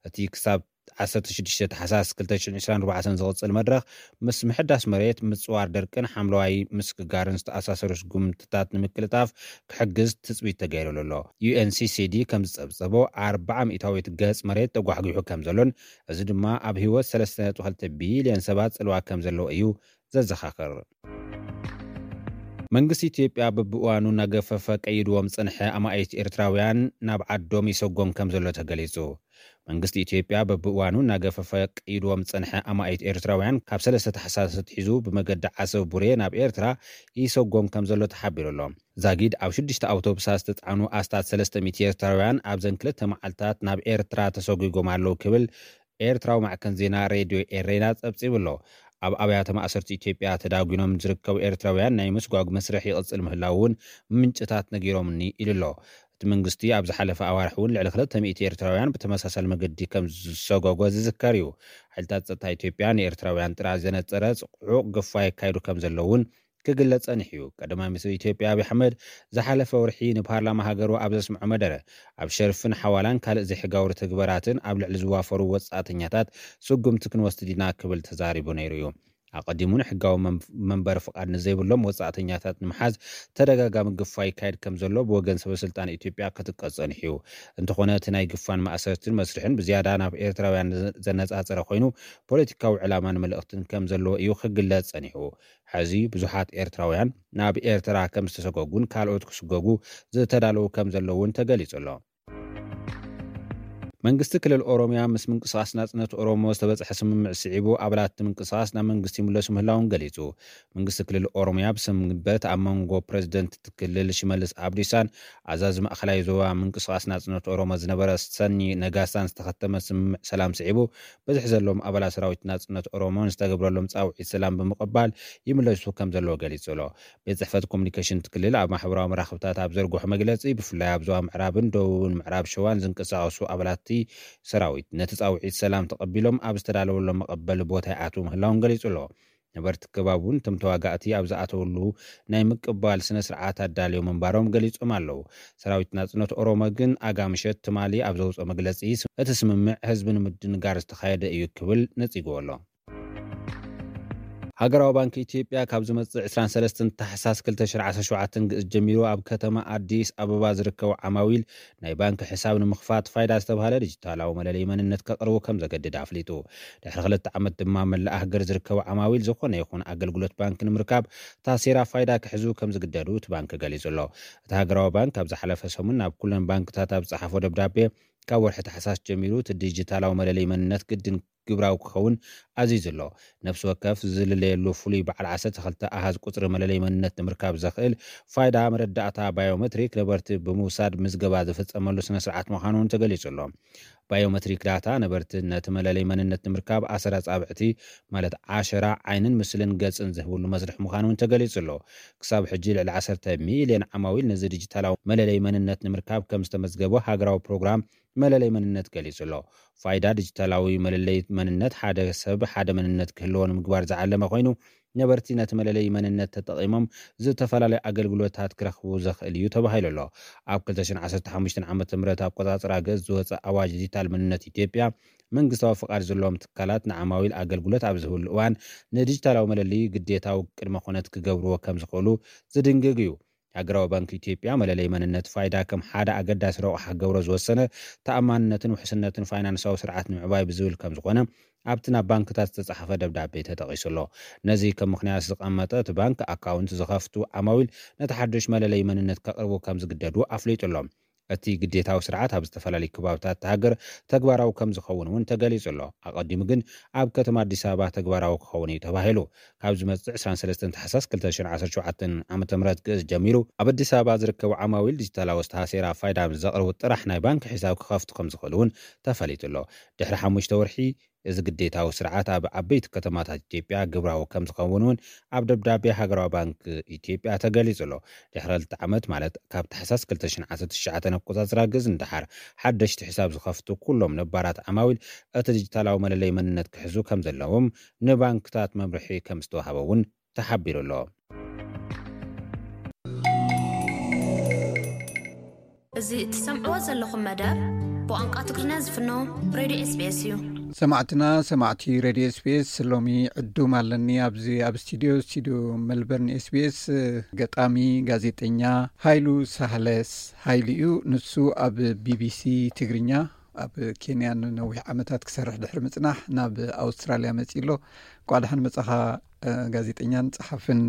እቲ ክሳብ ዓሰርተ ሽዱሽተ ታሕሳስ ክልተ ሽሕን ዕስራን ኣርባዕተን ዝቕጽል መድረኽ፣ ምስ ምሕዳስ መሬት፣ ምጽዋር ደርቅን ሓምለዋይ ምስግጋርን ዝተኣሳሰሩ ስጉምትታት ንምቅልጣፍ ክሕግዝ ትጽቢት ተገይሩሉ ኣሎ። ዩ ኤን ሲ ሲ ዲ ከም ዝጸብጸቦ፣ ኣርብዓ ሚእታዊት ገጽ መሬት ተጓሕጒሑ ከም ዘሎን፣ እዚ ድማ ኣብ ህይወት ሰለስተ ነጥቢ ክልተ ቢልዮን ሰባት ጽልዋ ከም ዘለዎ እዩ ዘዘኻኽር። መንግስቲ ኢትዮጵያ በብእዋኑ እናገፈፈ ቀይድዎም ዝጸንሐ ኣማኢት ኤርትራውያን ናብ ዓዶም ይሰጎም ከም ዘሎ ተገሊጹ። መንግስቲ ኢትዮጵያ በብእዋኑ እናገፈፈ ቀይድዎም ዝጸንሐ ኣማኢት ኤርትራውያን ካብ ሰለስተ ታሕሳስ ኣትሒዙ ብመገዲ ዓሰብ ቡሬ ናብ ኤርትራ ይሰጎም ከም ዘሎ ተሓቢሩ ኣሎ። ዛጊድ ኣብ ሽዱሽተ ኣውቶቡሳት ዝተጻዕኑ ኣስታት ሰለስተ ሚእቲ ኤርትራውያን ኣብዘን ክልተ መዓልታት ናብ ኤርትራ ተሰጒጎም ኣለዉ ክብል ኤርትራዊ ማዕከን ዜና ሬድዮ ኤሬና ጸብጺቡ ኣሎ። ኣብ ኣብያተ ማእሰርቲ ኢትዮጵያ ተዳጒኖም ዝርከቡ ኤርትራውያን ናይ ምስጓግ መስርሕ ይቕጽል ምህላዉ እውን ምንጭታት ነጊሮምኒ ኢሉ ኣሎ። እቲ መንግስቲ ኣብ ዝሓለፈ ኣዋርሕ እውን ልዕሊ ክልተ ሚእቲ ኤርትራውያን ብተመሳሳሊ መገዲ ከም ዝሰጎጎ ዝዝከር እዩ። ሓይልታት ጸጥታ ኢትዮጵያ ንኤርትራውያን ጥራይ ዘነጸረ ጽዑቕ ግፋ የካይዱ ከም ዘለዉ እውን ክግለጽ ጸኒሑ እዩ። ቀዳማይ ሚኒስትር ኢትዮጵያ ኣብይ ኣሕመድ ዝሓለፈ ወርሒ ንፓርላማ ሃገሩ ኣብ ዘስምዖ መደረ፣ ኣብ ሸርፍን ሓዋላን ካልእ ዘይሕጋዊ ትግበራትን ኣብ ልዕሊ ዝዋፈሩ ወጻእተኛታት ስጉምቲ ክንወስድ ኢና ክብል ተዛሪቡ ነይሩ እዩ። ኣቐዲሙ ንሕጋዊ መን-፣ መንበሪ ፍቓድ ንዘይብሎም ወጻእተኛታት ንምሓዝ ተደጋጋሚ ግፋ ይካየድ ከም ዘሎ ብወገን ሰበ ስልጣን ኢትዮጵያ ክጥቀስ ጸኒሑ እዩ። እንተኾነ እቲ ናይ ግፋን ማእሰርትን መስርሕን ብዝያዳ ናብ ኤርትራውያን ዘ-፣ ዘነጻጸረ ኮይኑ፣ ፖለቲካዊ ዕላማን መልእኽትን ከም ዘለዎ እዩ ክግለጽ ጸኒሑ። ሕዚ ብዙሓት ኤርትራውያን ናብ ኤርትራ ከም ዝተሰጎጉን ካልኦት ክስጎጉ ዝተዳለዉ ከም ዘለዉ እውን ተገሊጹ ኣሎ። መንግስቲ ክልል ኦሮምያ ምስ ምንቅስቓስ ናጽነት ኦሮሞ ዝተበጽሐ ስምምዕ ስዒቡ፣ ኣባላት እቲ ምንቅስቓስ ናብ መንግስቲ ይምለሱ ምህላዎም ገሊጹ። መንግስቲ ክልል ኦሮምያ ብሰንበት ኣብ መንጎ ፕረዚደንት እቲ ክልል ሽመልስ ኣብዲሳን ኣዛዚ ማእከላይ ዞባ ምንቅስቓስ ናጽነት ኦሮሞ ዝነበረ ሰኒ ነጋሳን ዝተኸተመ ስምምዕ ሰላም ስዒቡ፣ ብዝሒ ዘለዎም ኣባላት ሰራዊት ናጽነት ኦሮሞ ንዝተገብረሎም ጻውዒት ሰላም ብምቕባል ይምለሱ ከም ዘለዉ ገሊጹ ኣሎ። ቤት ጽሕፈት ኮሙኒኬሽን እቲ ክልል ኣብ ማሕበራዊ መራኽብታት ኣብ ዘርግሖ መግለጺ፣ ብፍላይ ኣብ ዞባ ምዕራብን ደቡብን ምዕራብ ሸዋን ዝንቀሳቐሱ ኣባላት እቲ ሰራዊት፣ ነቲ ጻውዒት ሰላም ተቐቢሎም ኣብ ዝተዳለወሎም መቐበሊ ቦታ ይኣትዉ ምህላዎም ገሊጹ ኣሎ። ነበርቲ ከባቢ እውን እቶም ተዋጋእቲ ኣብ ዝኣተውሉ ናይ ምቅባል ስነ ስርዓት ኣዳልዮም ምንባሮም ገሊጾም ኣለዉ። ሰራዊት ናጽነት ኦሮሞ ግን ኣጋ ምሸት ትማሊ ኣብ ዘውፅኦ መግለጺ፣ እቲ ስምምዕ ህዝቢ ንምድንጋር ዝተኻየደ እዩ ክብል ነጺግዎ ኣሎ። ሃገራዊ ባንክ ኢትዮጵያ ካብ ዝመጽእ ዕስራን ሰለስተን ታሕሳስ ክልተ ሽሕን ዓሰርተ ሸውዓተን ግእዝ ጀሚሩ ኣብ ከተማ ኣዲስ ኣበባ ዝርከቡ ዓማዊል ናይ ባንክ ሕሳብ ንምኽፋት ፋይዳ ዝተባህለ ዲጂታላዊ መለለይ መንነት ከቕርቡ ከም ዘገድድ ኣፍሊጡ። ድሕሪ ክልተ ዓመት ድማ መላእ ሃገር ዝርከቡ ዓማዊል ዝኾነ ይኹን ኣገልግሎት ባንክ ንምርካብ ታሴራ ፋይዳ ክሕዙ ከም ዝግደዱ እቲ ባንክ ገሊጹ ኣሎ። እቲ ሃገራዊ ባንክ ኣብ ዝሓለፈ ሰሙን ናብ ኩለን ባንክታት ኣብ ዝጸሓፎ ደብዳቤ፣ ካብ ወርሒ ታሕሳስ ጀሚሩ እቲ ዲጂታላዊ መለለይ መንነት ግድን ግብራዊ ክኸውን ኣዚዙ ኣሎ። ነፍሲ ወከፍ ዝልለየሉ ፍሉይ በዓል ዓሰርተ ክልተ ኣሃዝ ቁጽሪ መለለይ መንነት ንምርካብ ዘኽእል ፋይዳ መረዳእታ ባዮሜትሪክ ነበርቲ ብምውሳድ ምዝገባ ዝፍጸመሉ ስነ ስርዓት ምዃኑ እውን ተገሊጹ ኣሎ። ባዮሜትሪክ ዳታ ነበርቲ ነቲ መለለይ መንነት ንምርካብ ኣሰር ኣጻብዕቲ፣ ማለት ዓሸራ፣ ዓይንን ምስልን ገጽን ዝህብሉ መስርሕ ምዃኑ እውን ተገሊጹ ኣሎ። ክሳብ ሕጂ ልዕሊ ዓሰርተ ሚልዮን ዓማዊል ነዚ ዲጂታላዊ መለለይ መንነት ንምርካብ ከም ዝተመዝገቡ ሃገራዊ ፕሮግራም መለለይ መንነት ገሊጹ ኣሎ። ፋይዳ ዲጂታላዊ መለለይ መንነት፣ ሓደ ሰብ ሓደ መንነት ክህልዎ ንምግባር ዝዓለመ ኮይኑ፣ ነበርቲ ነቲ መለለይ መንነት ተጠቒሞም ዝተፈላለዩ ኣገልግሎታት ክረኽቡ ዘኽእል እዩ ተባሂሉ ኣሎ። ኣብ ክልተ ሽሕን ዓሰርተ ሓሙሽተን ዓመተ ምህረት ኣቆጻጽራ ግእዝ ዝወጸ ኣዋጅ ዲጂታል መንነት ኢትዮጵያ፣ መንግስታዊ ፍቓድ ዘለዎም ትካላት ንዓማዊል ኣገልግሎት ኣብ ዝህብሉ እዋን ንዲጂታላዊ መለለይ ግዴታዊ ቅድመ ኩነት ክገብርዎ ከም ዝኽእሉ ዝድንግግ እዩ። ሃገራዊ ባንክ ኢትዮጵያ መለለይ መንነት ፋይዳ ከም ሓደ ኣገዳሲ ረቑሓ ክገብሮ ዝወሰነ፣ ተኣማንነትን ውሕስነትን ፋይናንሳዊ ስርዓት ንምዕባይ ብዝብል ከም ዝኾነ ኣብቲ ናብ ባንክታት ዝተጻሕፈ ደብዳቤ ተጠቒሱ ኣሎ። ነዚ ከም ምኽንያት ዝቐመጠ እቲ ባንክ፣ ኣካውንት ዝኸፍቱ ዓማዊል ነቲ ሓድሽ መለለይ መንነት ከቕርቡ ከም ዝግደዱ ኣፍሊጡ ኣሎ። እቲ ግዴታዊ ስርዓት ኣብ ዝተፈላለዩ ከባብታት እታ ሃገር ተግባራዊ ከም ዝኸውን እውን ተገሊጹ ኣሎ። ኣቐዲሙ ግን ኣብ ከተማ ኣዲስ ኣበባ ተግባራዊ ክኸውን እዩ ተባሂሉ። ካብ ዝመጽእ ዕስራን ሰለስተን ታሕሳስ ክልተ ሽሕን ዓሰርተ ሸውዓተን ዓመተ ምህረት ግእዝ ጀሚሩ ኣብ ኣዲስ ኣበባ ዝርከቡ ዓማዊል ዲጂታላዊ ኣስተሃሴራ ፋይዳ ምስ ዘቕርቡ ጥራሕ ናይ ባንክ ሒሳብ ክኸፍቱ ከም ዝኽእሉ እውን ተፈሊጡ ኣሎ። ድሕሪ ሓሙሽተ ወርሒ እዚ ግዴታዊ ስርዓት ኣብ ዓበይቲ ከተማታት ኢትዮጵያ ግብራዊ ከም ዝኸውን እውን ኣብ ደብዳቤ ሃገራዊ ባንክ ኢትዮጵያ ተገሊጹ ኣሎ። ድሕሪ ክልተ ዓመት ማለት ካብ ታሕሳስ ክልተ ሽሕን ዓሰርተ ትሽዓተን ኣቆጻጽራ ግእዝ ንደሓር ሓደሽቲ ሒሳብ ዝኸፍቱ ኩሎም ነባራት ዓማዊል እቲ ዲጂታላዊ መለለይ መንነት ክሕዙ ከም ዘለዎም ንባንክታት መምርሒ ከም ዝተዋህበ እውን ተሓቢሩ ኣሎ። እዚ እትሰምዕዎ ዘለኹም መደብ ብቋንቋ ትግርኛ ዝፍኖ ሬድዮ ኤስቢኤስ እዩ። ሰማዕትና ሰማዕቲ ሬድዮ ኤስቢኤስ፣ ሎሚ ዕዱም ኣለኒ ኣብዚ ኣብ ስቱዲዮ ስቱዲዮ መልበርን ኤስቢኤስ ገጣሚ ጋዜጠኛ ሃይሉ ሳህለስ ሃይሉ እዩ። ንሱ ኣብ ቢቢሲ ትግርኛ ኣብ ኬንያ ንነዊሕ ዓመታት ክሰርሕ ድሕሪ ምጽናሕ ናብ ኣውስትራልያ መጺ ኣሎ። እንኳዕ ደሓን መጻኻ። ጋዜጠኛን ጸሓፍን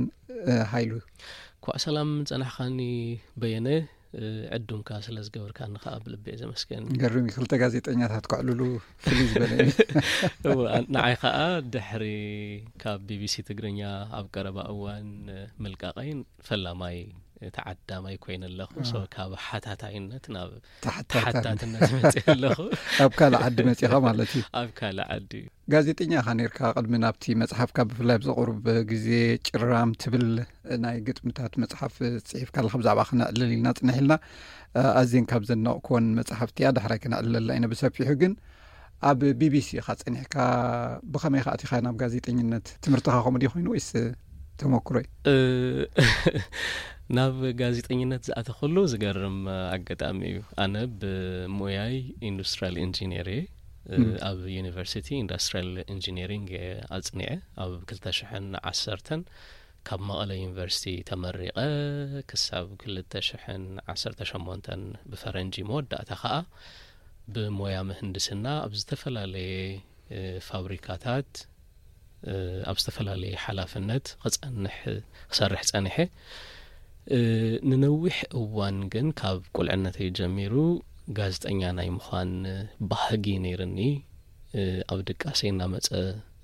ሃይሉ። ኳዕ ሰላም ጸናሕኻኒ በየነ። ዕዱምካ ስለ ዝገበርካኒ ከዓ ብልቢ እየ ዘመስገን። ገርም እዩ፣ ክልተ ጋዜጠኛታት ክዕልሉ ፍልይ ዝበለ እዩ። እወ፣ ንዓይ ከዓ ድሕሪ ካብ ቢቢሲ ትግርኛ ኣብ ቀረባ እዋን ምልቃቐይ ፈላማይ ተዓዳማይ ኮይነ ኣለኹ። ሶ ካብ ሓታታይነት ናብ ተሓታትነት መፅእ ኣለኹ። ኣብ ካልእ ዓዲ መፂኻ ማለት እዩ። ኣብ ካልእ ዓዲ እዩ። ጋዜጠኛ ኢኻ ነይርካ። ቅድሚ ናብቲ መፅሓፍካ ብፍላይ ኣብዚ ቁሩብ ግዜ ጭራም ትብል ናይ ግጥምታት መፅሓፍ ፅሒፍካ ኣለኻ። ብዛዕባ ክነዕልል ኢልና ፅንሕ ኢልና። ኣዝየን ካብ ዘነቕኩወን መፅሓፍቲ እያ። ዳሕራይ ክነዕልለላ ኢና ብሰፊሑ። ግን ኣብ ቢቢሲ ኢኻ ጸኒሕካ፣ ብኸመይ ኢኻ ኣቲኻ ናብ ጋዜጠኝነት? ትምህርትኻ ከምኡ ድዩ ኮይኑ ወይስ ተመኩሮ እዩ? እ፣ ናብ ጋዜጠኝነት ዝኣተኹሉ ዝገርም ኣጋጣሚ እዩ። ኣነ ብሞያይ ኢንዱስትሪያል ኢንጂነር እየ። እ፣ ም። ኣብ ዩኒቨርሲቲ ኢንዱስትሪያል ኢንጂነሪንግ እየ ኣጽኒዐ። ኣብ ክልተ ሽሕን ዓሰርተን ካብ መቐለ ዩኒቨርሲቲ ተመሪቐ ክሳብ ክልተ ሽሕን ዓሰርተ ሸሞንተን ብፈረንጂ መወዳእታ ኸኣ ብሞያ ምህንድስና ኣብ ዝተፈላለየ፣ እ፣ ፋብሪካታት፣ እ፣ ኣብ ዝተፈላለየ ሓላፍነት ክጸንሕ፣ ክሰርሕ ጸኒሐ። እ፣ ንነዊሕ እዋን ግን ካብ ቁልዕነተይ ጀሚሩ ጋዜጠኛ ናይ ምዃን ባህጊ ነይርኒ። እ፣ ኣብ ድቃሰይ እናመጸ፣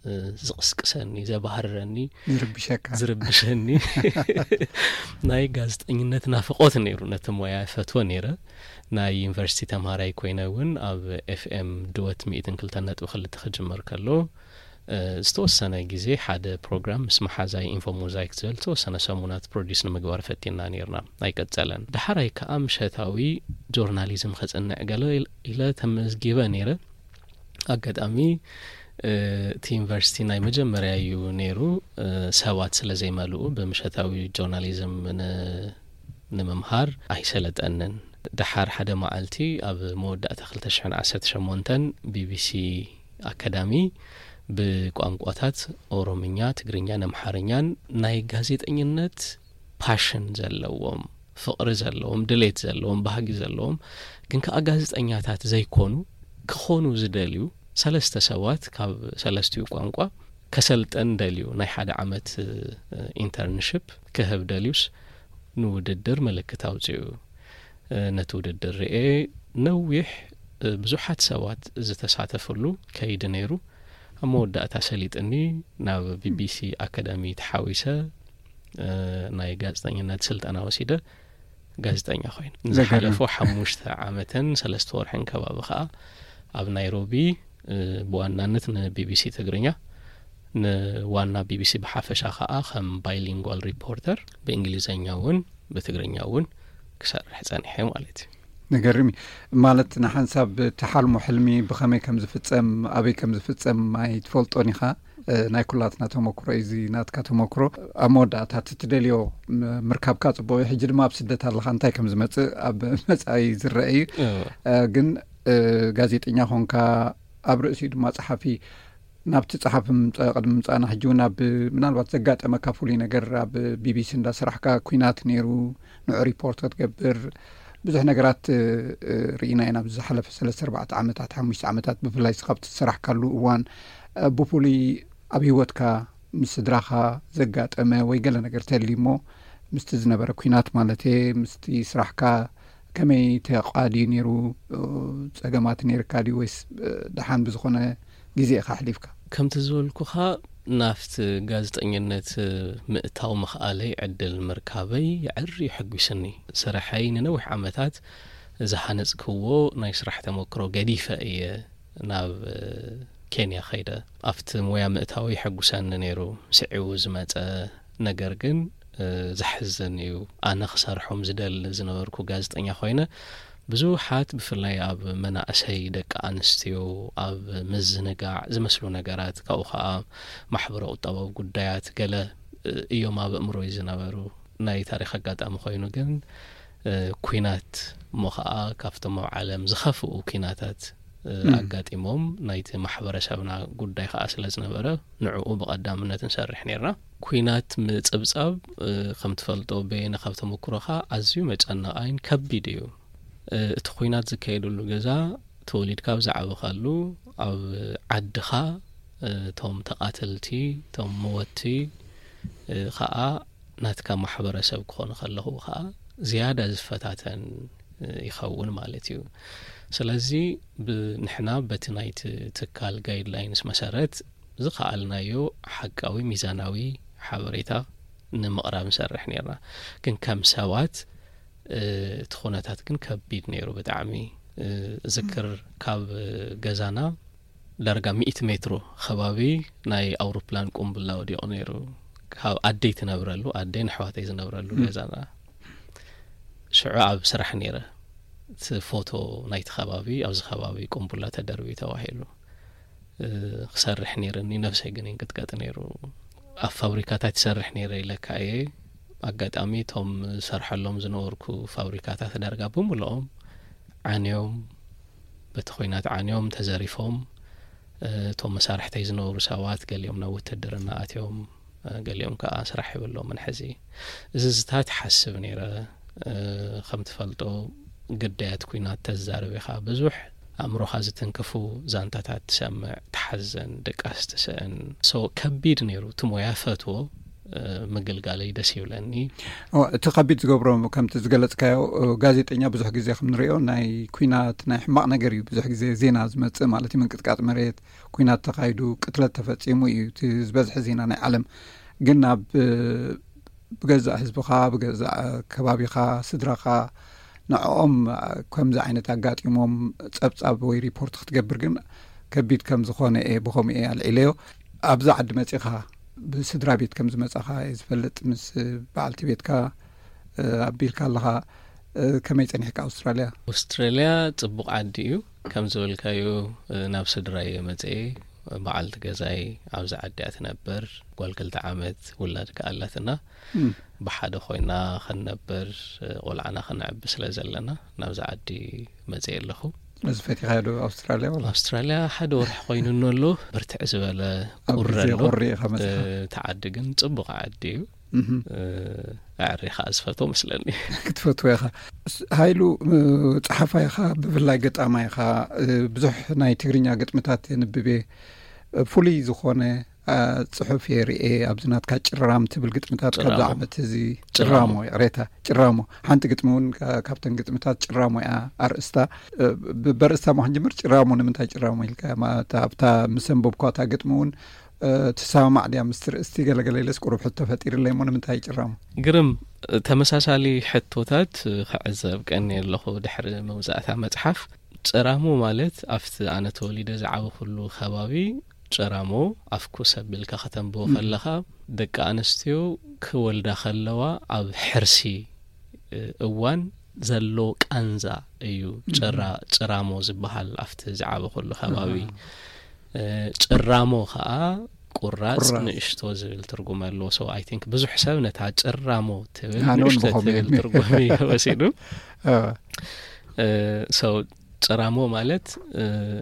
እ፣ ዝቕስቅሰኒ፣ ዘባህርረኒ፣ ዝርብሸካ። ዝርብሸኒ ናይ ጋዜጠኝነት ናፍቖት ነይሩ። ነቲ ሞያ እፈትዎ ነይረ። ናይ ዩኒቨርሲቲ ተምሃራይ ኮይነ እውን ኣብ ኤፍኤም ድወት ሚእትን ክልተን ነጥቢ ክልተ ክጅመር ከሎ፣ እ፣ ዝተወሰነ ግዜ ሓደ ፕሮግራም ምስ መሓዛይ ኢንፎ ሞዛይክ ዝብል ዝተወሰነ ሰሙናት ፕሮዲስ ንምግባር ፈቲና ነይርና። ኣይቀጸለን። ደሓራይ ከኣ ምሸታዊ ጆርናሊዝም ከጽንዕ ገለ ኢለ ተመዝጊበ ነይረ። ኣጋጣሚ፣ እ፣ እቲ ዩኒቨርሲቲ ናይ መጀመርያ እዩ ነይሩ። እ፣ ሰባት ስለ ዘይመልኡ ብምሸታዊ ጆርናሊዝም ን-፣ ንምምሃር ኣይሰለጠንን። ደሓር ሓደ መዓልቲ ኣብ መወዳእታ ክልተ ሽሕን ዓሰርተ ሸሞንተን ቢቢሲ ኣካዳሚ ብቋንቋታት ኦሮምኛ፣ ትግርኛን ኣምሓርኛን ናይ ጋዜጠኝነት ፓሽን ዘለዎም፣ ፍቕሪ ዘለዎም፣ ድሌት ዘለዎም፣ ባህጊ ዘለዎም፣ ግን ከኣ ጋዜጠኛታት ዘይኮኑ፣ ክኾኑ ዝደልዩ ሰለስተ ሰባት ካብ ሰለስቲኡ ቋንቋ ከሰልጠን ደልዩ ናይ ሓደ ዓመት፣ እ፣ ኢንተርንሽፕ ክህብ ደልዩስ ንውድድር ምልክት ኣውጺኡ። እ፣ ነቲ ውድድር ርኤ ነዊሕ፣ እ፣ ብዙሓት ሰባት ዝተሳተፍሉ ከይዲ ነይሩ። ኣብ መወዳእታ ሰሊጥኒ ናብ ቢቢሲ ኣካዳሚ ተሓዊሰ፣ እ፣ ናይ ጋዜጠኝነት ስልጠና ወሲደ ጋዜጠኛ ኮይነ። ዘገርም። ዝሓለፉ ሓሙሽተ ዓመትን ሰለስተ ወርሕን ከባቢ ከኣ ኣብ ናይሮቢ፣ እ፣ ብዋናነት ንቢቢሲ ትግርኛ፣ ንዋና ቢቢሲ ብሓፈሻ ከኣ ከም ባይሊንጓል ሪፖርተር ብእንግሊዘኛ እውን ብትግርኛ እውን ክሰርሕ ጸኒሐ ማለት እዩ። ንገርም እዩ። ማለት ንሓንሳብ ተሓልሞ ሕልሚ ብኸመይ ከም ዝፍጸም፣ ኣበይ ከም ዝፍጸም ኣይትፈልጦን ኢኻ። እ፣ ናይ ኩላትና ተመክሮ እዩ እዚ ናትካ ተመክሮ። ኣብ መወዳእታ እቲ ትደልዮ ም-፣ ምርካብካ ጽቡቕ እዩ። ሕጂ ድማ ኣብ ስደት ኣለኻ፣ እንታይ ከም ዝመጽእ ኣብ መጻኢ ዝረአ እዩ። እወ። እ፣ ግን፣ እ፣ ጋዜጠኛ ኾንካ ኣብ ርእሲኡ ድማ ጸሓፊ ናብቲ ጸሓፊ ምምጻእ ቅድሚ ምምጻእና ሕጂ እውን ኣብ ምናልባት ዘጋጠመካ ፍሉይ ነገር ኣብ ቢቢሲ እንዳሰራሕካ ኲናት ነይሩ ንዑ ሪፖርት ክትገብር ብዙሕ ነገራት እ፣ እ፣ ርኢና ኢና ኣብዚ ዝሓለፈ ሰለስተ ኣርባዕተ ዓመታት ሓሙሽተ ዓመታት ብፍላይ እስኻ ኣብቲ ዝሰራሕካሉ እዋን እ፣ ብፍሉይ ኣብ ህይወትካ ምስ ስድራኻ ዘጋጠመ ወይ ገለ ነገር ተልዩ እሞ ምስቲ ዝነበረ ኲናት ማለት እየ ምስቲ ስራሕካ ከመይ ተቓዲ ነይሩ? ጸገማት ነይርካ ድዩ ወይስ ደሓን ብዝኾነ ግዜ ኢኻ ኣሕሊፍካ? ከምቲ ዝበልኩኻ፣ ናብቲ ጋዜጠኝነት ምእታው ምኽኣለይ፣ ዕድል ምርካበይ የዐሪ የሐጒስኒ። ስርሐይ ንነዊሕ ዓመታት ዝሃነጽክዎ ናይ ስራሕ ተመክሮ ገዲፈ እየ ናብ ኬንያ ኸይደ። ኣብቲ ሞያ ምእታው የሐጉሰኒ ነይሩ። ስዒቡ ዝመጸ ነገር ግን ዘሕዝን እዩ። ኣነ ክሰርሖም ዝደሊ ዝነበርኩ ጋዜጠኛ ኮይነ፣ ብዙሓት ብፍላይ ኣብ መናእሰይ ደቂ ኣንስትዮ ኣብ ምዝንጋዕ ዝመስሉ ነገራት፣ ካብኡ ኸዓ ማሕበረ ቁጠባዊ ጉዳያት ገለ እዮም ኣብ ኣእምሮይ ዝነበሩ። ናይ ታሪኽ ኣጋጣሚ ኮይኑ ግን ኩናት እሞ ኸዓ ካብቶም ኣብ ዓለም ዝኸፍኡ ኩናታት ኣጋጢሞም፣ ናይቲ ማሕበረሰብና ጉዳይ ኸዓ ስለ ዝነበረ ንዕኡ ብቐዳምነት ንሰርሕ ነርና። ኩናት ምጽብጻብ ከም ትፈልጦ በየነ ካብ ተመክሮኻ ኣዝዩ መጨነቓይን ከቢድ እዩ። እቲ ኩናት ዝካየደሉ ገዛ ተወሊድካ ኣብ ዝዓበኻሉ ኣብ ዓድኻ እቶም ተቓተልቲ እቶም መወቲ ኸዓ ናትካ ማሕበረሰብ ክኾኑ ከለኹ ኸዓ ዝያዳ ዝፈታተን ይኸውን ማለት እዩ። ስለዚ ንሕና በቲ ናይቲ ትካል ጋይድላይንስ መሰረት ዝኸኣልናዮ ሓቃዊ ሚዛናዊ ሓበሬታ ንምቕራብ ንሰርሕ ነርና። ግን ከም ሰባት እቲ ኩነታት ግን ከቢድ ነይሩ ብጣዕሚ። ዝክር ካብ ገዛና ዳርጋ ሚእቲ ሜትሮ ከባቢ ናይ ኣውሮፕላን ቁምብላ ወዲቑ ነይሩ። ካብ ኣደይ ትነብረሉ፣ ኣደይ ንኣሕዋተይ ዝነብረሉ ገዛና። ሽዑ ኣብ ስራሕ ነይረ። እቲ ፎቶ ናይቲ ከባቢ፣ ኣብዚ ከባቢ ቁምቡላ ተደርቢ ተባሂሉ ክሰርሕ ነይርኒ፣ ነብሰይ ግን ይንቅጥቀጥ ነይሩ። ኣብ ፋብሪካታት ይሰርሕ ነይረ ኢለካ እየ። ኣጋጣሚ እቶም ዝሰርሐሎም ዝነበርኩ ፋብሪካታት ዳርጋ ብምልኦም ዓንዮም፣ በቲ ኹናት ዓንዮም ተዘሪፎም። እቶም መሳርሕተይ ዝነበሩ ሰባት ገሊኦም ናብ ውትድርና ኣትዮም፣ ገሊኦም ከዓ ስራሕ የብሎምን ሕዚ። እዚ ዝታት ሓስብ ነይረ። ከም ትፈልጦ ግዳያት ኲናት ተዛርብ ኢኻ፣ ብዙሕ ኣእምሮኻ ዝትንክፉ ዛንታታት ትሰምዕ፣ ትሓዘን፣ ድቃስ ትስእን። ሶ ከቢድ ነይሩ። እቲ ሞያ ፈትዎ፣ ምግልጋለይ ደስ ይብለኒ። እቲ ከቢድ ዝገብሮ ከምቲ ዝገለጽካዮ፣ ጋዜጠኛ ብዙሕ ግዜ ከም ንሪኦ ናይ ኲናት ናይ ሕማቕ ነገር እዩ ብዙሕ ግዜ ዜና ዝመጽእ ማለት እዩ። ምንቅጥቃጥ መሬት፣ ኲናት ተኻይዱ፣ ቅትለት ተፈጺሙ እዩ እቲ ዝበዝሐ ዜና ናይ ዓለም። ግን ኣብ ብገዛእ ህዝብኻ፣ ብገዛእ ከባቢኻ፣ ስድራኻ ንዕኦም ከምዚ ዓይነት ኣጋጢሞም ጸብጻብ ወይ ሪፖርት ክትገብር ግን ከቢድ ከም ዝኾነ እየ ብኸምኡ እየ ኣልዒለዮ። ኣብዚ ዓዲ መጺኻ ብስድራ ቤት ከም ዝመጻኻ እየ ዝፈልጥ። ምስ በዓልቲ ቤትካ ኣቢልካ ኣለኻ። ከመይ ጸኒሕካ ኣውስትራልያ? ኣውስትራልያ ጽቡቕ ዓዲ እዩ። ከም ዝበልካዮ ናብ ስድራ እየ መጽኤ። በዓልቲ ገዛይ ኣብዚ ዓዲ እያ ትነብር። ጓል ክልተ ዓመት ውላድ ከኣ ኣላትና። ብሓደ ኮይና ክንነብር፣ ቆልዓና ክነዕቢ ስለ ዘለና ናብዚ ዓዲ መጽኤ ኣለኹ። እዚ ፈቲኻዮ ዶ ኣውስትራልያ ወላ? ኣውስትራልያ ሓደ ወርሒ ኮይኑ ኣሎ። ብርትዕ ዝበለ ኣብ ቁሪ ግዜ ኣሎ። ቁሪ ኢኻ መጺኻ? እቲ ዓዲ ግን ጽቡቕ ዓዲ እዩ። ኣዕሪ ከኣ ዝፈትዎ መስለኒ። ክትፈትዎ ኢኻ። ሃይሉ፣ ጸሓፋይ ኢኻ፣ ብፍላይ ገጣማይ ኢኻ። ብዙሕ ናይ ትግርኛ ግጥምታት የንብብ እየ። ፍሉይ ዝኾነ ጽሑፍ እየ ርእየ። ኣብዚ ናትካ ጭራም ትብል ግጥምታት ካብዚ ጭራሞ። ዓመት እዚ ጭራሞ። ጭራሞ፣ ይቕሬታ፣ ጭራሞ። ሓንቲ ግጥሚ እውን ካብተን ግጥምታት ጭራሞ እያ ኣርእስታ። በርእስታ ሞ ክንጅምር፣ ጭራሞ ንምንታይ ጭራሞ ኢልካ? ኣብታ ምስ ኣንበብኳ እታ ግጥሚ እውን ትሰማማዕ ድያ ምስቲ ርእስቲ? ገለገለ ኢለስ ቁሩብ ሕቶ ፈጢርለይ እሞ ንምንታይ ጭራሞ? ግርም፣ ተመሳሳሊ ሕቶታት ክዕዘብ ቀንየ ኣለኹ ድሕሪ ምውጻእታ መጽሓፍ። ጭራሞ ማለት ኣብቲ ኣነ ተወሊደ ዝዓበኹሉ ከባቢ ጭራሞ ኣፍኩስ ኣቢልካ ከተንብቦ ከለኻ ደቂ ኣንስትዮ ክወልዳ ከለዋ ኣብ ሕርሲ እዋን ዘሎ ቃንዛ እዩ ጭራ ጭራሞ ዝበሃል ኣብቲ ዝዓበኹሉ ከባቢ። ጭራሞ ከዓ ቁራጽ ንእሽቶ ዝብል ትርጉም ኣለዎ። So I think ብዙሕ ሰብ ነታ ጭራሞ ትብል ንእሽቶ ትብል ትርጉም እዩ ወሲዱ። So ጭራሞ ማለት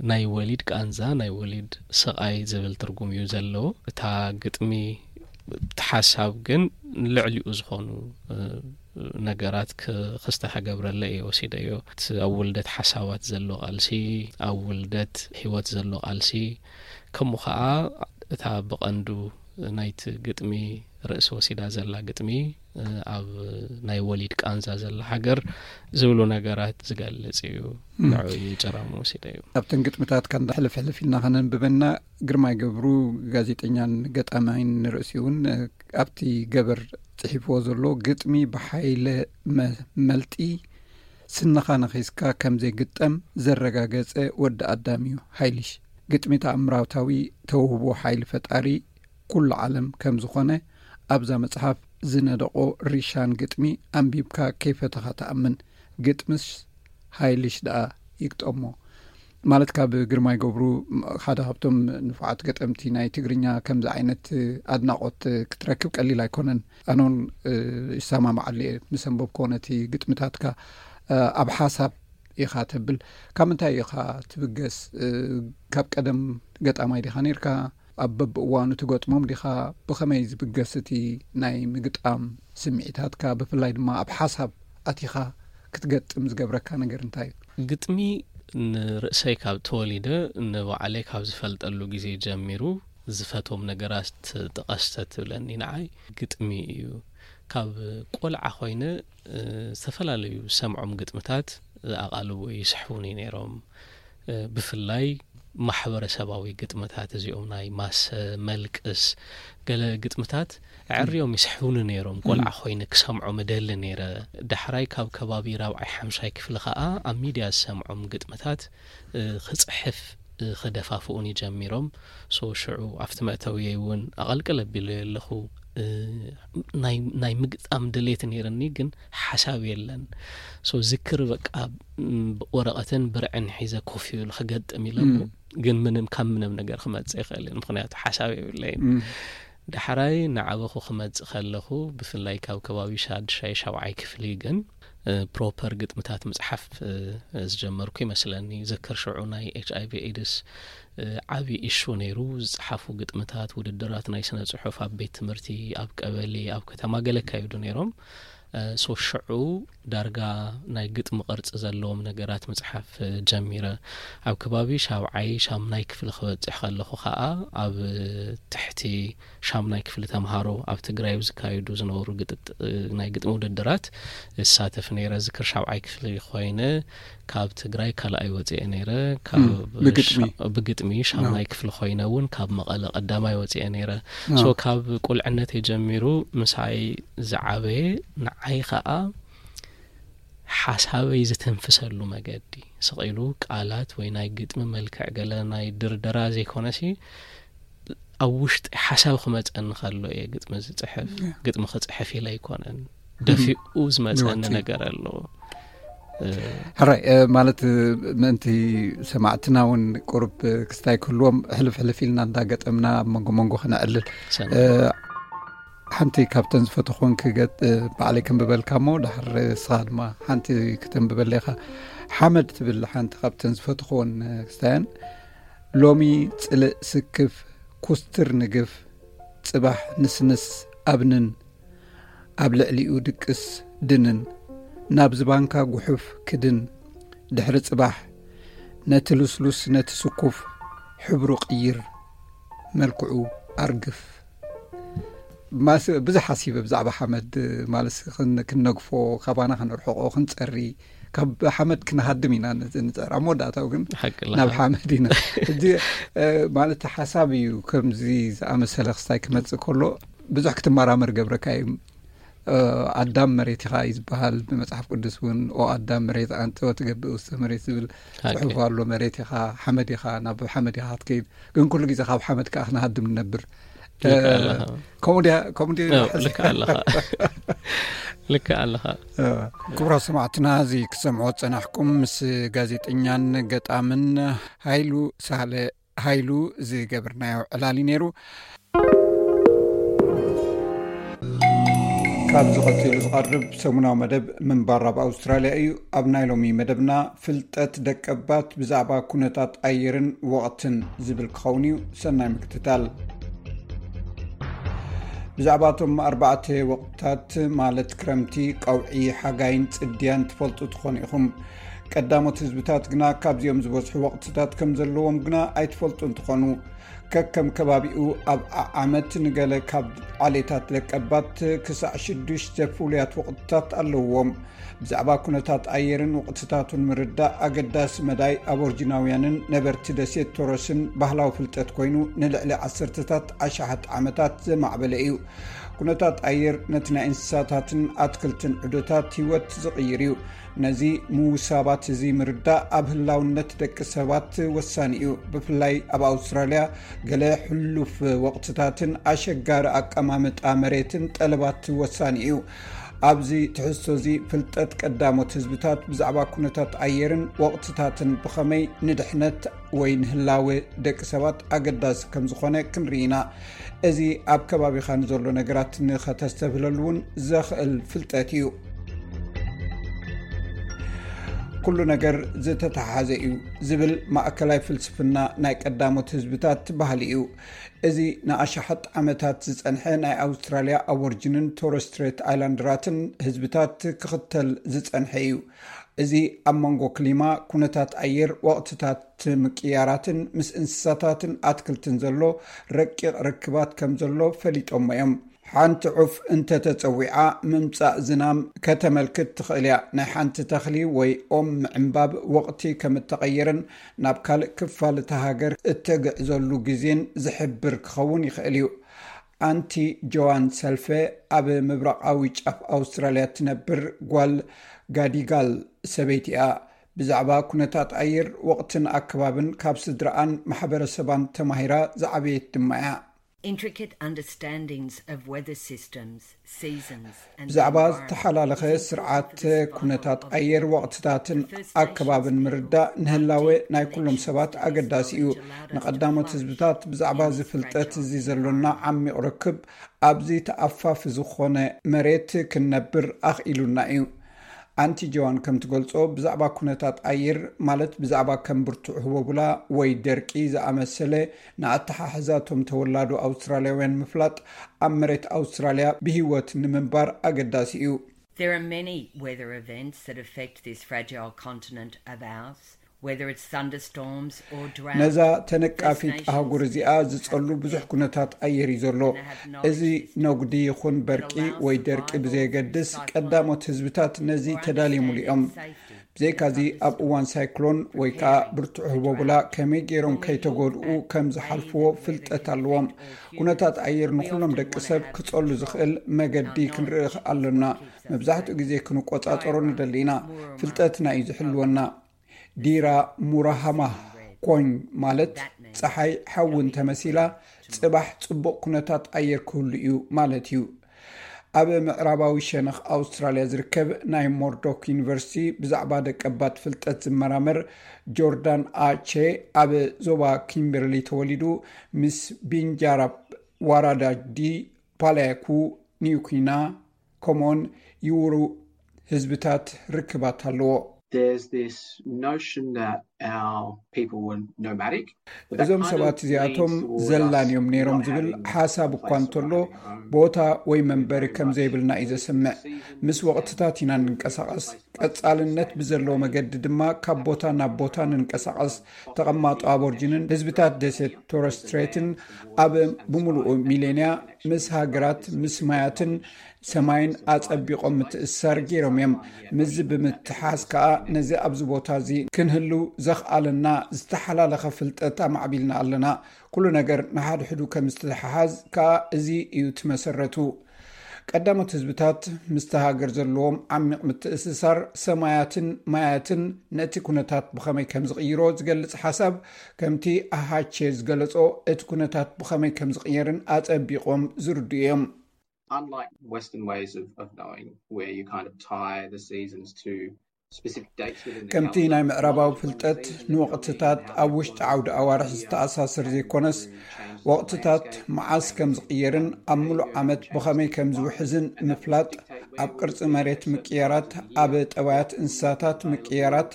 ናይ ወሊድ ቃንዛ፣ ናይ ወሊድ ስቓይ ዝብል ትርጉም እዩ ዘለዎ። እታ ግጥሚ፣ እቲ ሓሳብ ግን ልዕሊኡ ዝኾኑ ነገራት ክስተ ከገብረለ እየ ወሲደዮ። እቲ ኣብ ውልደት ሓሳባት ዘሎ ቃልሲ፣ ኣብ ውልደት ህይወት ዘሎ ቃልሲ፣ ከምኡ ኸዓ እታ ብቐንዱ ናይቲ ግጥሚ ርእሲ ወሲዳ ዘላ ግጥሚ፣ ኣብ ናይ ወሊድ ቃንዛ ዘላ ሃገር ዝብሉ ነገራት ዝገልጽ እዩ። ንዑ ጭራሙ ወሲደ እዩ። ኣብተን ግጥምታት ከንዳ ሕልፍ ሕልፍ ኢልና ከነንብበና፣ ግርማይ ገብሩ፣ ጋዜጠኛን ገጣማይን ንርእሲ እውን ኣብቲ ገበር ጽሒፍዎ ዘሎ ግጥሚ ብሓይለ መ-፣ መልጢ ስንኻ ነኺስካ ከም ዘይግጠም ዘረጋገጸ ወዲ ኣዳም እዩ። ሓይልሽ ግጥሚ ተኣምራታዊ ተውህቦ ሓይሊ ፈጣሪ፣ ኩሉ ዓለም ከም ዝኾነ ኣብዛ መጽሓፍ ዝነደቖ ሪሻን ግጥሚ ኣንቢብካ ከይፈተኻ ትኣምን። ግጥምስ ሓይልሽ ደኣ ይግጠሞ። ማለት ካብ ግርማይ ገብሩ ሓደ ካብቶም ንፉዓት ገጠምቲ ናይ ትግርኛ ከምዚ ዓይነት ኣድናቖት ክትረክብ ቀሊል ኣይኮነን። ኣነውን ይሰማማዓሉ እየ ምስ ኣንበብኮ ነቲ ግጥምታትካ። ኣብ ሓሳብ ኢኻ ተብል፣ ካብ ምንታይ ኢኻ ትብገስ? ካብ ቀደም ገጣማይ ዲኻ ነርካ? ኣብ በብእዋኑ ትገጥሞም ዲኻ? ብኸመይ ዝብገስ እቲ ናይ ምግጣም ስምዒታትካ፣ ብፍላይ ድማ ኣብ ሓሳብ ኣቲኻ ክትገጥም ዝገብረካ ነገር እንታይ እዩ? ግጥሚ ንርእሰይ ካብ ተወሊደ፣ ንባዕለይ ካብ ዝፈልጠሉ ግዜ ጀሚሩ ዝፈቶም ነገራት ጥቀስተ ትብለኒ። ንዓይ ግጥሚ እዩ። ካብ ቆልዓ ኮይነ ዝተፈላለዩ ሰምዖም ግጥምታት ኣቓልቦ ይስሕቡኒ ነይሮም። ብፍላይ ማሕበረሰባዊ ግጥምታት እዚኦም ናይ ማሰ፣ መልቅስ፣ ገለ ግጥምታት ኣዕርዮም ይስሕቡኒ ነይሮም። ቆልዓ ኮይነ ክሰምዖም እደሊ ነይረ። ዳሕራይ ካብ ከባቢ ራብዓይ ሓምሻይ ክፍሊ ከኣ ኣብ ሚድያ ዝሰምዖም ግጥምታት ክጽሕፍ ክደፋፍኡኒ ጀሚሮም። ሶ ሽዑ ኣብቲ መእተውየይ እውን ኣቐልቅል ኣቢለዮ ኣለኹ። ናይ ምግጣም ድሌት ነይርኒ፣ ግን ሓሳብ የለን። ሶ ዝክር በቃ ወረቐትን ብርዕን ሒዘ ኮፍ ይብል ክገጥም ኢለ፣ ግን ምንም ካብ ምንም ነገር ክመጽእ ይኽእል እዩ፣ ምክንያቱ ሓሳብ የብለይን። ዳሕራይ ንዓበኹ ክመጽእ ከለኹ፣ ብፍላይ ካብ ከባቢ ሻድሻይ ሻብዓይ ክፍሊ ግን ፕሮፐር ግጥምታት ምጽሓፍ ዝጀመርኩ ይመስለኒ። ዝክር ሽዑ ናይ ኤች ኣይ ቪ ኤድስ ዓቢ ኢሹ ነይሩ። ዝጸሓፉ ግጥምታት፣ ውድድራት ናይ ስነ ጽሑፍ ኣብ ቤት ትምህርቲ፣ ኣብ ቀበሌ፣ ኣብ ከተማ ገለ ካይዱ ነይሮም። ሶ ሽዑ ዳርጋ ናይ ግጥሚ ቅርጺ ዘለዎም ነገራት ምጽሓፍ ጀሚረ። ኣብ ከባቢ ሻብዓይ ሻምናይ ክፍሊ ክበጽሕ ከለኹ ከኣ ኣብ ትሕቲ ሻምናይ ክፍሊ ተምሃሮ ኣብ ትግራይ ዝካየዱ ዝነበሩ ግጥጥ-፣ ናይ ግጥሚ ውድድራት እሳተፍ ነይረ። ዝክር ሻብዓይ ክፍሊ ኮይነ ካብ ትግራይ ካልኣይ ወፅኤ ነይረ። ካብ ብግጥሚ? ሻ-፣ ብግጥሚ ሻምናይ ክፍሊ ኮይነ እውን ካብ መቐለ ቀዳማይ ወፅኤ ነይረ። ሶ ካብ ቁልዕነተይ ጀሚሩ ምሳይ ዝዓበየ ንዓይ ከዓ ሓሳበይ ዝተንፍሰሉ መገዲ ስቕ ኢሉ ቃላት ወይ ናይ ግጥሚ መልክዕ ገለ ናይ ድርደራ ዘይኮነሲ ኣብ ውሽጢ ሓሳብ ክመፀኒ ከሎ እየ ግጥሚ ዝፅሕፍ። ግጥሚ ክፅሕፍ ኢለ ኣይኮነን፣ ደፊኡ ዝመፀኒ ነገር ኣሎ። ሕራይ፣ ማለት ምእንቲ ሰማዕትና እውን ቁሩብ ክስታይ ክህልዎም ሕልፍ ሕልፍ ኢልና እንዳገጠምና ኣብ መንጎ መንጎ ክነዕልል። ሓንቲ ካብተን ዝፈተኹን ክገጥ-፣ ባዕለይ ከንብበልካ እሞ ድሓር ንስኻ ድማ ሓንቲ ክተንብበለይ ኢኻ። ሓመድ ትብል ሓንቲ ካብተን ዝፈተኹን ክስታየን። ሎሚ ጽልእ ስክፍ፣ ኩስትር ንግፍ፣ ጽባሕ ንስንስ ኣብንን፣ ኣብ ልዕሊኡ ድቅስ ድንን፣ ናብ ዝባንካ ጉሑፍ ክድን፣ ድሕሪ ጽባሕ ነቲ ልስሉስ ነቲ ስኩፍ ሕብሩ ቅይር፣ መልክዑ ኣርግፍ። ማስ-፣ ብዙሕ ሓሲበ ብዛዕባ ሓመድ፣ ማለት ክን-፣ ክንነግፎ፣ ካባና ከነርሕቆ፣ ክንጸሪ፣ ካብ ሓመድ ክንሃድም ኢና ንጽ-፣ ንጸር። ኣብ መወዳእታኡ ግን ሓቂ ኣለኻ። ናብ ሓመድ ኢና። ሕጂ፣ እ፣ ማለት ሓሳብ እዩ ከምዚ ዝኣመሰለ ክስታይ ክመጽእ ከሎ ብዙሕ ክትመራመር ገብረካ እዩ። እ፣ ኣዳም መሬት ኢኻ እዩ ዝበሃል ብመጽሓፍ ቅዱስ እውን፣ "ኦ ኣዳም መሬት ኣንተ ወትገብእ ውስተ መሬት" ዝብል ሓቂ። ጽሑፍ ኣሎ። መሬት ኢኻ፣ ሓመድ ኢኻ፣ ናብ ሓመድ ኢኻ ክትከይድ። ግን ኩሉ ግዜ ካብ ሓመድ ከኣ ክንሃድም ንነብር። ልክዕ ኣለኻ። ከምኡ ድያ? ከምኡ ድያ? ልክዕ ኣለኻ። ልክዕ ኣለኻ። ክቡራት ሰማዕትና፣ እዚ ክሰምዖ ዝጸናሕኩም ምስ ጋዜጠኛን ገጣምን ሃይሉ ሳህለ ሃይሉ ዝገበርናዮ ዕላል እዩ ነይሩ። ካብዚ ቀጺሉ ዝቐርብ ሰሙናዊ መደብ ምንባር ኣብ ኣውስትራልያ እዩ። ኣብ ናይ ሎሚ መደብና፣ ፍልጠት ደቀባት ብዛዕባ ኩነታት ኣየርን ወቕትን ዝብል ክኸውን እዩ። ሰናይ ምክትታል። ብዛዕባ እቶም ኣርባዕተ ወቕትታት፣ ማለት ክረምቲ፣ ቀውዒ፣ ሓጋይን ጽድያን ትፈልጡ ትኾኑ ኢኹም። ቀዳሞት ህዝብታት ግና ካብዚኦም ዝበዝሑ ወቕትታት ከም ዘለዎም ግና ኣይትፈልጡን ትኾኑ። ከከም ከባቢኡ ኣብ ዓዓመት ንገለ ካብ ዓሌታት ደቀባት ክሳዕ ሽዱሽተ ፍሉያት ወቕትታት ኣለዎም። ብዛዕባ ኩነታት ኣየርን ወቕትታቱን ምርዳእ ኣገዳሲ መዳይ ኣቦርጂናውያንን ነበርቲ ደሴት ቶረስን ባህላዊ ፍልጠት ኮይኑ፣ ንልዕሊ ዓሰርተታት ኣሽሓት ዓመታት ዘማዕበለ እዩ። ኩነታት ኣየር ነቲ ናይ እንስሳታትን ኣትክልትን ዑደታት ህይወት ዝቕይር እዩ። ነዚ ምውሳባት እዚ ምርዳእ ኣብ ህላውነት ደቂ ሰባት ወሳኒ እዩ። ብፍላይ ኣብ ኣውስትራልያ፣ ገለ ሕሉፍ ወቕትታትን ኣሸጋሪ ኣቀማምጣ መሬትን ጠለባት ወሳኒ እዩ። ኣብዚ ትሕዝቶ እዚ፣ ፍልጠት ቀዳሞት ህዝብታት ብዛዕባ ኩነታት ኣየርን ወቕትታትን ብኸመይ ንድሕነት ወይ ንህላወ ደቂ ሰባት ኣገዳሲ ከም ዝኾነ ክንርኢ ኢና። እዚ ኣብ ከባቢኻ ንዘሎ ነገራት ንኸተስተብህለሉ እውን ዘኽእል ፍልጠት እዩ። ኩሉ ነገር ዝተተሓሓዘ እዩ ዝብል ማእከላይ ፍልስፍና ናይ ቀዳሞት ህዝብታት ባህሊ እዩ። እዚ ንኣሽሓት ዓመታት ዝጸንሐ ናይ ኣውስትራልያ ኣቦርጅንን ቶረስ ስትሬት ኣይላንደራትን ህዝብታት ክኽተል ዝጸንሐ እዩ። እዚ ኣብ መንጎ ክሊማ፣ ኩነታት ኣየር፣ ወቕትታት ምቅያራትን ምስ እንስሳታትን ኣትክልትን ዘሎ ረቂቕ ርክባት ከም ዘሎ ፈሊጦሞ እዮም። ሓንቲ ዑፍ እንተተጸዊዓ፣ ምምጻእ ዝናም ከተመልክት ትኽእል እያ። ናይ ሓንቲ ተኽሊ ወይ ኦም ምዕንባብ ወቕቲ ከም እተቐየረን ናብ ካልእ ክፋል እታ ሃገር እተግዕዘሉ ግዜን ዝሕብር ክኸውን ይኽእል እዩ። ኣንቲ ጆዋን ሰልፈ ኣብ ምብራቓዊ ጫፍ ኣውስትራልያ እትነብር ጓል ጋዲጋል ሰበይቲ እያ። ብዛዕባ ኩነታት ኣየር፣ ወቕትን ኣከባብን ካብ ስድራኣን ማሕበረሰባን ተማሂራ ዝዓበየት ድማ እያ። Intricate understandings of weather systems, seasons, and the ብዛዕባ environment ዝተሓላለኸ is important ስርዓት for this ኩነታት part of ኣየር፣ ወቕትታትን the First ኣከባብን Nations ምርዳእ ንህላወ ናይ ኩሎም ሰባት ኣገዳሲ እዩ። ንቀዳሞት ህዝብታት ብዛዕባ እዚ ፍልጠት እዚ ዘሎና ዓሚቕ ርክብ ኣብዚ ተኣፋፊ ዝኾነ መሬት ክንነብር ኣኽኢሉና እዩ። ኣንቲ ጆዋን ከም ትገልጾ፣ ብዛዕባ ኩነታት ኣየር፣ ማለት ብዛዕባ ከም ብርቱዕ ህቦቡላ ወይ ደርቂ ዝኣመሰለ ንኣተሓሕዛቶም ተወላዶ ኣውስትራልያውያን ምፍላጥ፣ ኣብ መሬት ኣውስትራልያ ብህይወት ንምንባር ኣገዳሲ እዩ። There are many weather events that affect this fragile continent of ours, whether it's thunderstorms or drought. ነዛ ተነቃፊት ኣህጉር እዚኣ ዝጸሉ ብዙሕ ኩነታት ኣየር እዩ ዘሎ። እዚ ነጉዲ ይኹን በርቂ ወይ ደርቂ ብዘየገድስ፣ ቀዳሞት ህዝብታት ነዚ ተዳልየምሉ እዮም። ብዘይካዚ፣ ኣብ እዋን ሳይክሎን ወይ ከኣ ብርቱዕ ህቦቡላ ከመይ ገይሮም ከይተጎድኡ ከም ዝሓልፍዎ ፍልጠት ኣለዎም። ኩነታት ኣየር ንኹሎም ደቂ ሰብ ክጸሉ ዝኽእል መገዲ ክንርኢ ኣለና። መብዛሕትኡ ግዜ ክንቆጻጸሮ ንደሊ ኢና። ፍልጠትና እዩ ዝሕልወና። ዲራ ሙራሃማ ኮኝ፣ ማለት ጸሓይ ሓዊ እንተመሲላ፣ ጽባሕ ጽቡቕ ኩነታት ኣየር ክህሉ እዩ ማለት እዩ። ኣብ ምዕራባዊ ሸነኽ ኣውስትራልያ ዝርከብ ናይ ሞርዶክ ዩኒቨርሲቲ ብዛዕባ ደቀባት ፍልጠት ዝመራመር ጆርዳን ኣቼ፣ ኣብ ዞባ ኪምበርሊ ተወሊዱ፣ ምስ ቢንጃራብ ዋራዳዲ፣ ፓላያኩ፣ ኒውኪና፣ ኮሞን፣ ይውሩ ህዝብታት ርክባት ኣለዎ። There's this notion that our people were nomadic, but that እዞም kind ሰባት of እዚኣቶም leans towards ዘላን us እዮም ነይሮም not ዝብል having ሓሳብ እኳ place እንተሎ፣ of our own. ቦታ ወይ መንበሪ ከም ዘይብልና እዩ ዘስምዕ። ምስ ወቕትታት ኢና እንንቀሳቐስ። ቀጻልነት ብዘለዎ መገዲ ድማ ካብ ቦታ ናብ ቦታ ንንቀሳቐስ። ተቐማጦ ኣቦርጅንን ህዝብታት ደሴት ቶረስ ስትሬትን ኣብ ብምሉኡ ሚሌንያ ምስ ሃገራት፣ ምስ ማያትን ሰማይን ኣጸቢቖም ምትእስሳር ገይሮም እዮም። ምስዚ ብምትሓዝ ከኣ፣ ነዚ ኣብዚ ቦታ እዚ ክንህሉ ዘኽኣለና ዝተሓላለኸ ፍልጠት ኣማዕቢልና ኣለና። ኩሉ ነገር ንሓድሕዱ ከም ዝተሓሓዝ ከኣ እዚ እዩ እቲ መሰረቱ። ቀዳሞት ህዝብታት ምስቲ ሃገር ዘለዎም ዓሚቕ ምትእስሳር ሰማያትን ማያትን ነቲ ኩነታት ብኸመይ ከም ዝቕይሮ ዝገልጽ ሓሳብ፣ ከምቲ ኣሃቼ ዝገለጾ፣ እቲ ኩነታት ብኸመይ ከም ዝቕየርን ኣጸቢቖም ዝርድኡ እዮም። Unlike Western ways of, of knowing, where you kind of tie the seasons to specific dates within the ከምቲ calendar, ናይ ምዕራባዊ knowledge of when the ፍልጠት seasons ንወቕትታት ኣብ ውሽጢ ዓውዲ ኣዋርሕ ዝተኣሳሰር ዘይኮነስ፣ ወቕትታት መዓስ ከም ዝቕየርን ኣብ ምሉእ ዓመት ብኸመይ ከም ዝውሕዝን ምፍላጥ፣ ኣብ ቅርጺ መሬት ምቅያራት፣ ኣብ ጠባያት እንስሳታት ምቅያራት፣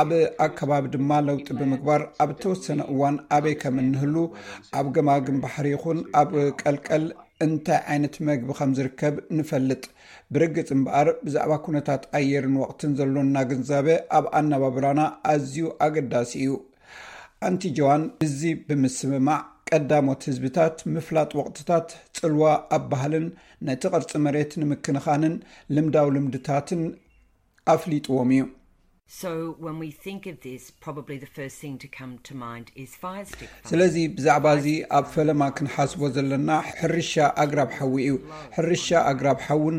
ኣብ ኣከባቢ ድማ ለውጢ ብምግባር፣ ኣብ እተወሰነ እዋን ኣበይ ከም እንህሉ፣ ኣብ ገማግም ባሕሪ ይኹን ኣብ ቀልቀል እንታይ ዓይነት መግቢ ከም ዝርከብ ንፈልጥ። ብርግጽ እምበኣር፣ ብዛዕባ ኩነታት ኣየርን ወቕትን ዘሎና ግንዛበ ኣብ ኣነባብራና ኣዝዩ ኣገዳሲ እዩ። ኣንቲ ጆዋን እዚ ብምስምማዕ፣ ቀዳሞት ህዝብታት ምፍላጥ ወቕትታት ጽልዋ ኣብ ባህልን ነቲ ቅርጺ መሬት ንምክንኻንን ልምዳዊ ልምድታትን ኣፍሊጥዎም እዩ። So when we think of this, probably the first thing to come to mind is fire stick fire. ስለዚ ብዛዕባ እዚ ኣብ ፈለማ ክንሓስቦ ዘለና ሕርሻ ኣግራብ ሓዊ እዩ። ሕርሻ ኣግራብ ሓውን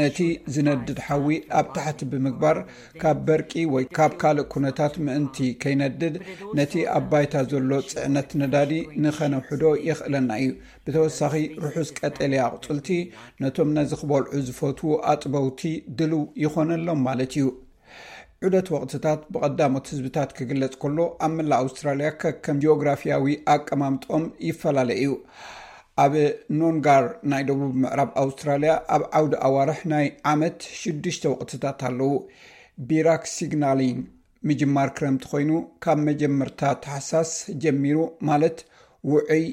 ነቲ ዝነድድ ሓዊ ኣብ ታሕቲ ብምግባር ካብ በርቂ ወይ ካብ ካልእ ኩነታት ምእንቲ ከይነድድ ነቲ ኣብ ባይታ ዘሎ ጽዕነት ነዳዲ ንኸነውሕዶ የኽእለና እዩ። ብተወሳኺ ርሑስ ቀጠልያ ኣቑጽልቲ ነቶም ነዚ ክበልዑ ዝፈትዉ ኣጥበውቲ ድልው ይኾነሎም ማለት እዩ። ዑደት ወቕትታት ብቐዳሞት ህዝብታት ክግለጽ ከሎ ኣብ መላእ ኣውስትራልያ ከከም ጂኦግራፊያዊ ኣቀማምጦም ይፈላለ እዩ። ኣብ ኖንጋር ናይ ደቡብ ምዕራብ ኣውስትራልያ ኣብ ዓውዲ ኣዋርሕ ናይ ዓመት ሽዱሽተ ወቕትታት ኣለዉ። ቢራክ ሲግናሊንግ ምጅማር ክረምቲ ኮይኑ ካብ መጀመርታ ታሕሳስ ጀሚሩ ማለት ውዑይ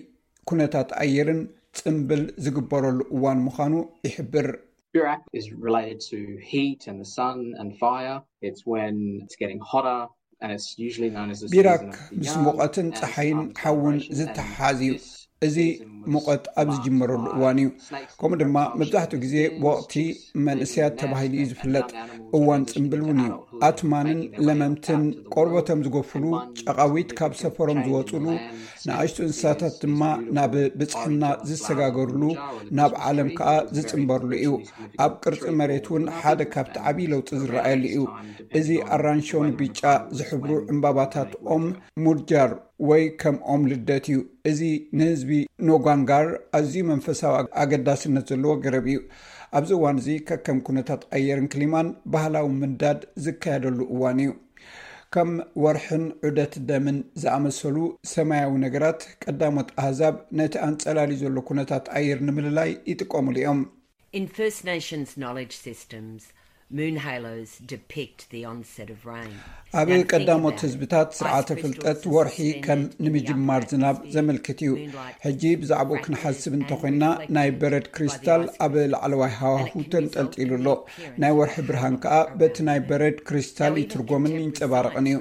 ኩነታት ኣየርን ጽምብል ዝግበረሉ እዋን ምዃኑ ይሕብር። Birak is related to heat and the sun and fire. It's when it's getting hotter and it's usually known as the ቢራክ season of the ምስ young ሙቐትን and ጸሓይን um, ሓውን celebrations. ዝተሓሓዝ እዩ። This እዚ season was ሙቐት ኣብ marked ዝጅመረሉ by እዋን እዩ። snakes ከምኡ ድማ and መብዛሕትኡ ግዜ vultures, ወቕቲ chickens, መንእስያት leaving ተባሂሉ እዩ nests and ዝፍለጥ። young animals እዋን transitioning ጽምብል to እውን እዩ። adulthood, ኣትማንን making their way ለመምትን out to the ቆርበቶም wild. ዝጎፍሉ And one ጨቓዊት big ካብ change ሰፈሮም in the ዝወፅሉ land, ንኣሽቱ snakes እንስሳታት lose ድማ these beautiful ናብ ብፅሕና orange-coloured ዝሰጋገርሉ flowers in the jar or the ናብ Christmas ዓለም tree, ከዓ which is very ዝፅንበርሉ እዩ። traditionally significant ኣብ ቅርፂ to መሬት እውን Northern ሓደ Hemisphere. ካብቲ And ዓብዪ ለውጢ around ዝረኣየሉ this እዩ። time, እዚ depending on ኣራንሾን when ብጫ animals ዝሕብሩ when ዕምባባታት they ኦም winter. ሙድጃር ወይ ከም ኦም ልደት እዩ። እዚ ንህዝቢ ኖጋንጋር ኣዝዩ መንፈሳዊ ኣገዳስነት ዘለዎ ገረብ እዩ። ኣብዚ እዋን እዚ ከከም ኩነታት ኣየርን ክሊማን ባህላዊ ምንዳድ ዝካየደሉ እዋን እዩ። ከም ወርሕን ዑደት ደምን ዝኣመሰሉ ሰማያዊ ነገራት ቀዳሞት ኣህዛብ ነቲ ኣንጸላልዩ ዘሎ ኩነታት ኣየር ንምልላይ ይጥቀሙሉ እዮም። In First Nations knowledge systems, moon halos depict the onset of rain. ኣብ ቀዳሞት ህዝብታት ስርዓተ ፍልጠት ወርሒ ከም ንምጅማር ዝናብ ዘመልክት እዩ። ሕጂ ብዛዕባኡ ክንሓስብ እንተኾይና ናይ በረድ ክሪስታል ኣብ ላዕለዋይ ሃዋሁ ተንጠልጢሉ ኣሎ። ናይ ወርሒ ብርሃን ከኣ በቲ ናይ በረድ ክሪስታል ይትርጎምን ይንጸባረቕን እዩ።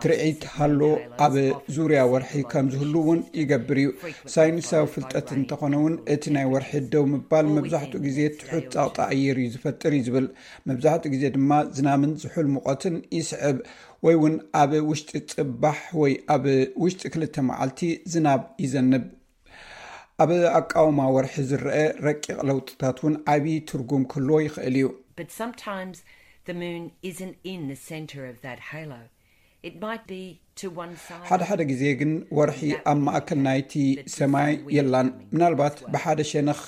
ትርዒት ሃሎ ኣብ ዙርያ ወርሒ ከም ዝህሉ እውን ይገብር እዩ። ሳይንሳዊ ፍልጠት እንተኾነ እውን እቲ ናይ ወርሒ ደው ምባል መብዛሕትኡ ግዜ ትሑት ጸቕጢ ኣየር እዩ ዝፈጥር እዩ ዝብል። መብዛሕትኡ ግዜ ድማ ዝናምን ዝሑል ሙቐትን ይስዕብ ወይ እውን ኣብ ውሽጢ ጽባሕ ወይ ኣብ ውሽጢ ክልተ መዓልቲ ዝናብ ይዘንብ። ኣብ ኣቃውማ ወርሒ ዝረአ ረቂቕ ለውጥታት እውን ዓብዪ ትርጉም ክህልዎ ይኽእል እዩ። But sometimes the moon isn't in the centre of that halo. It might be to one side. ሓደ ሓደ ግዜ ግን ወርሒ ኣብ ማእከል ናይቲ ሰማይ የላን። ምናልባት ብሓደ ሸነኽ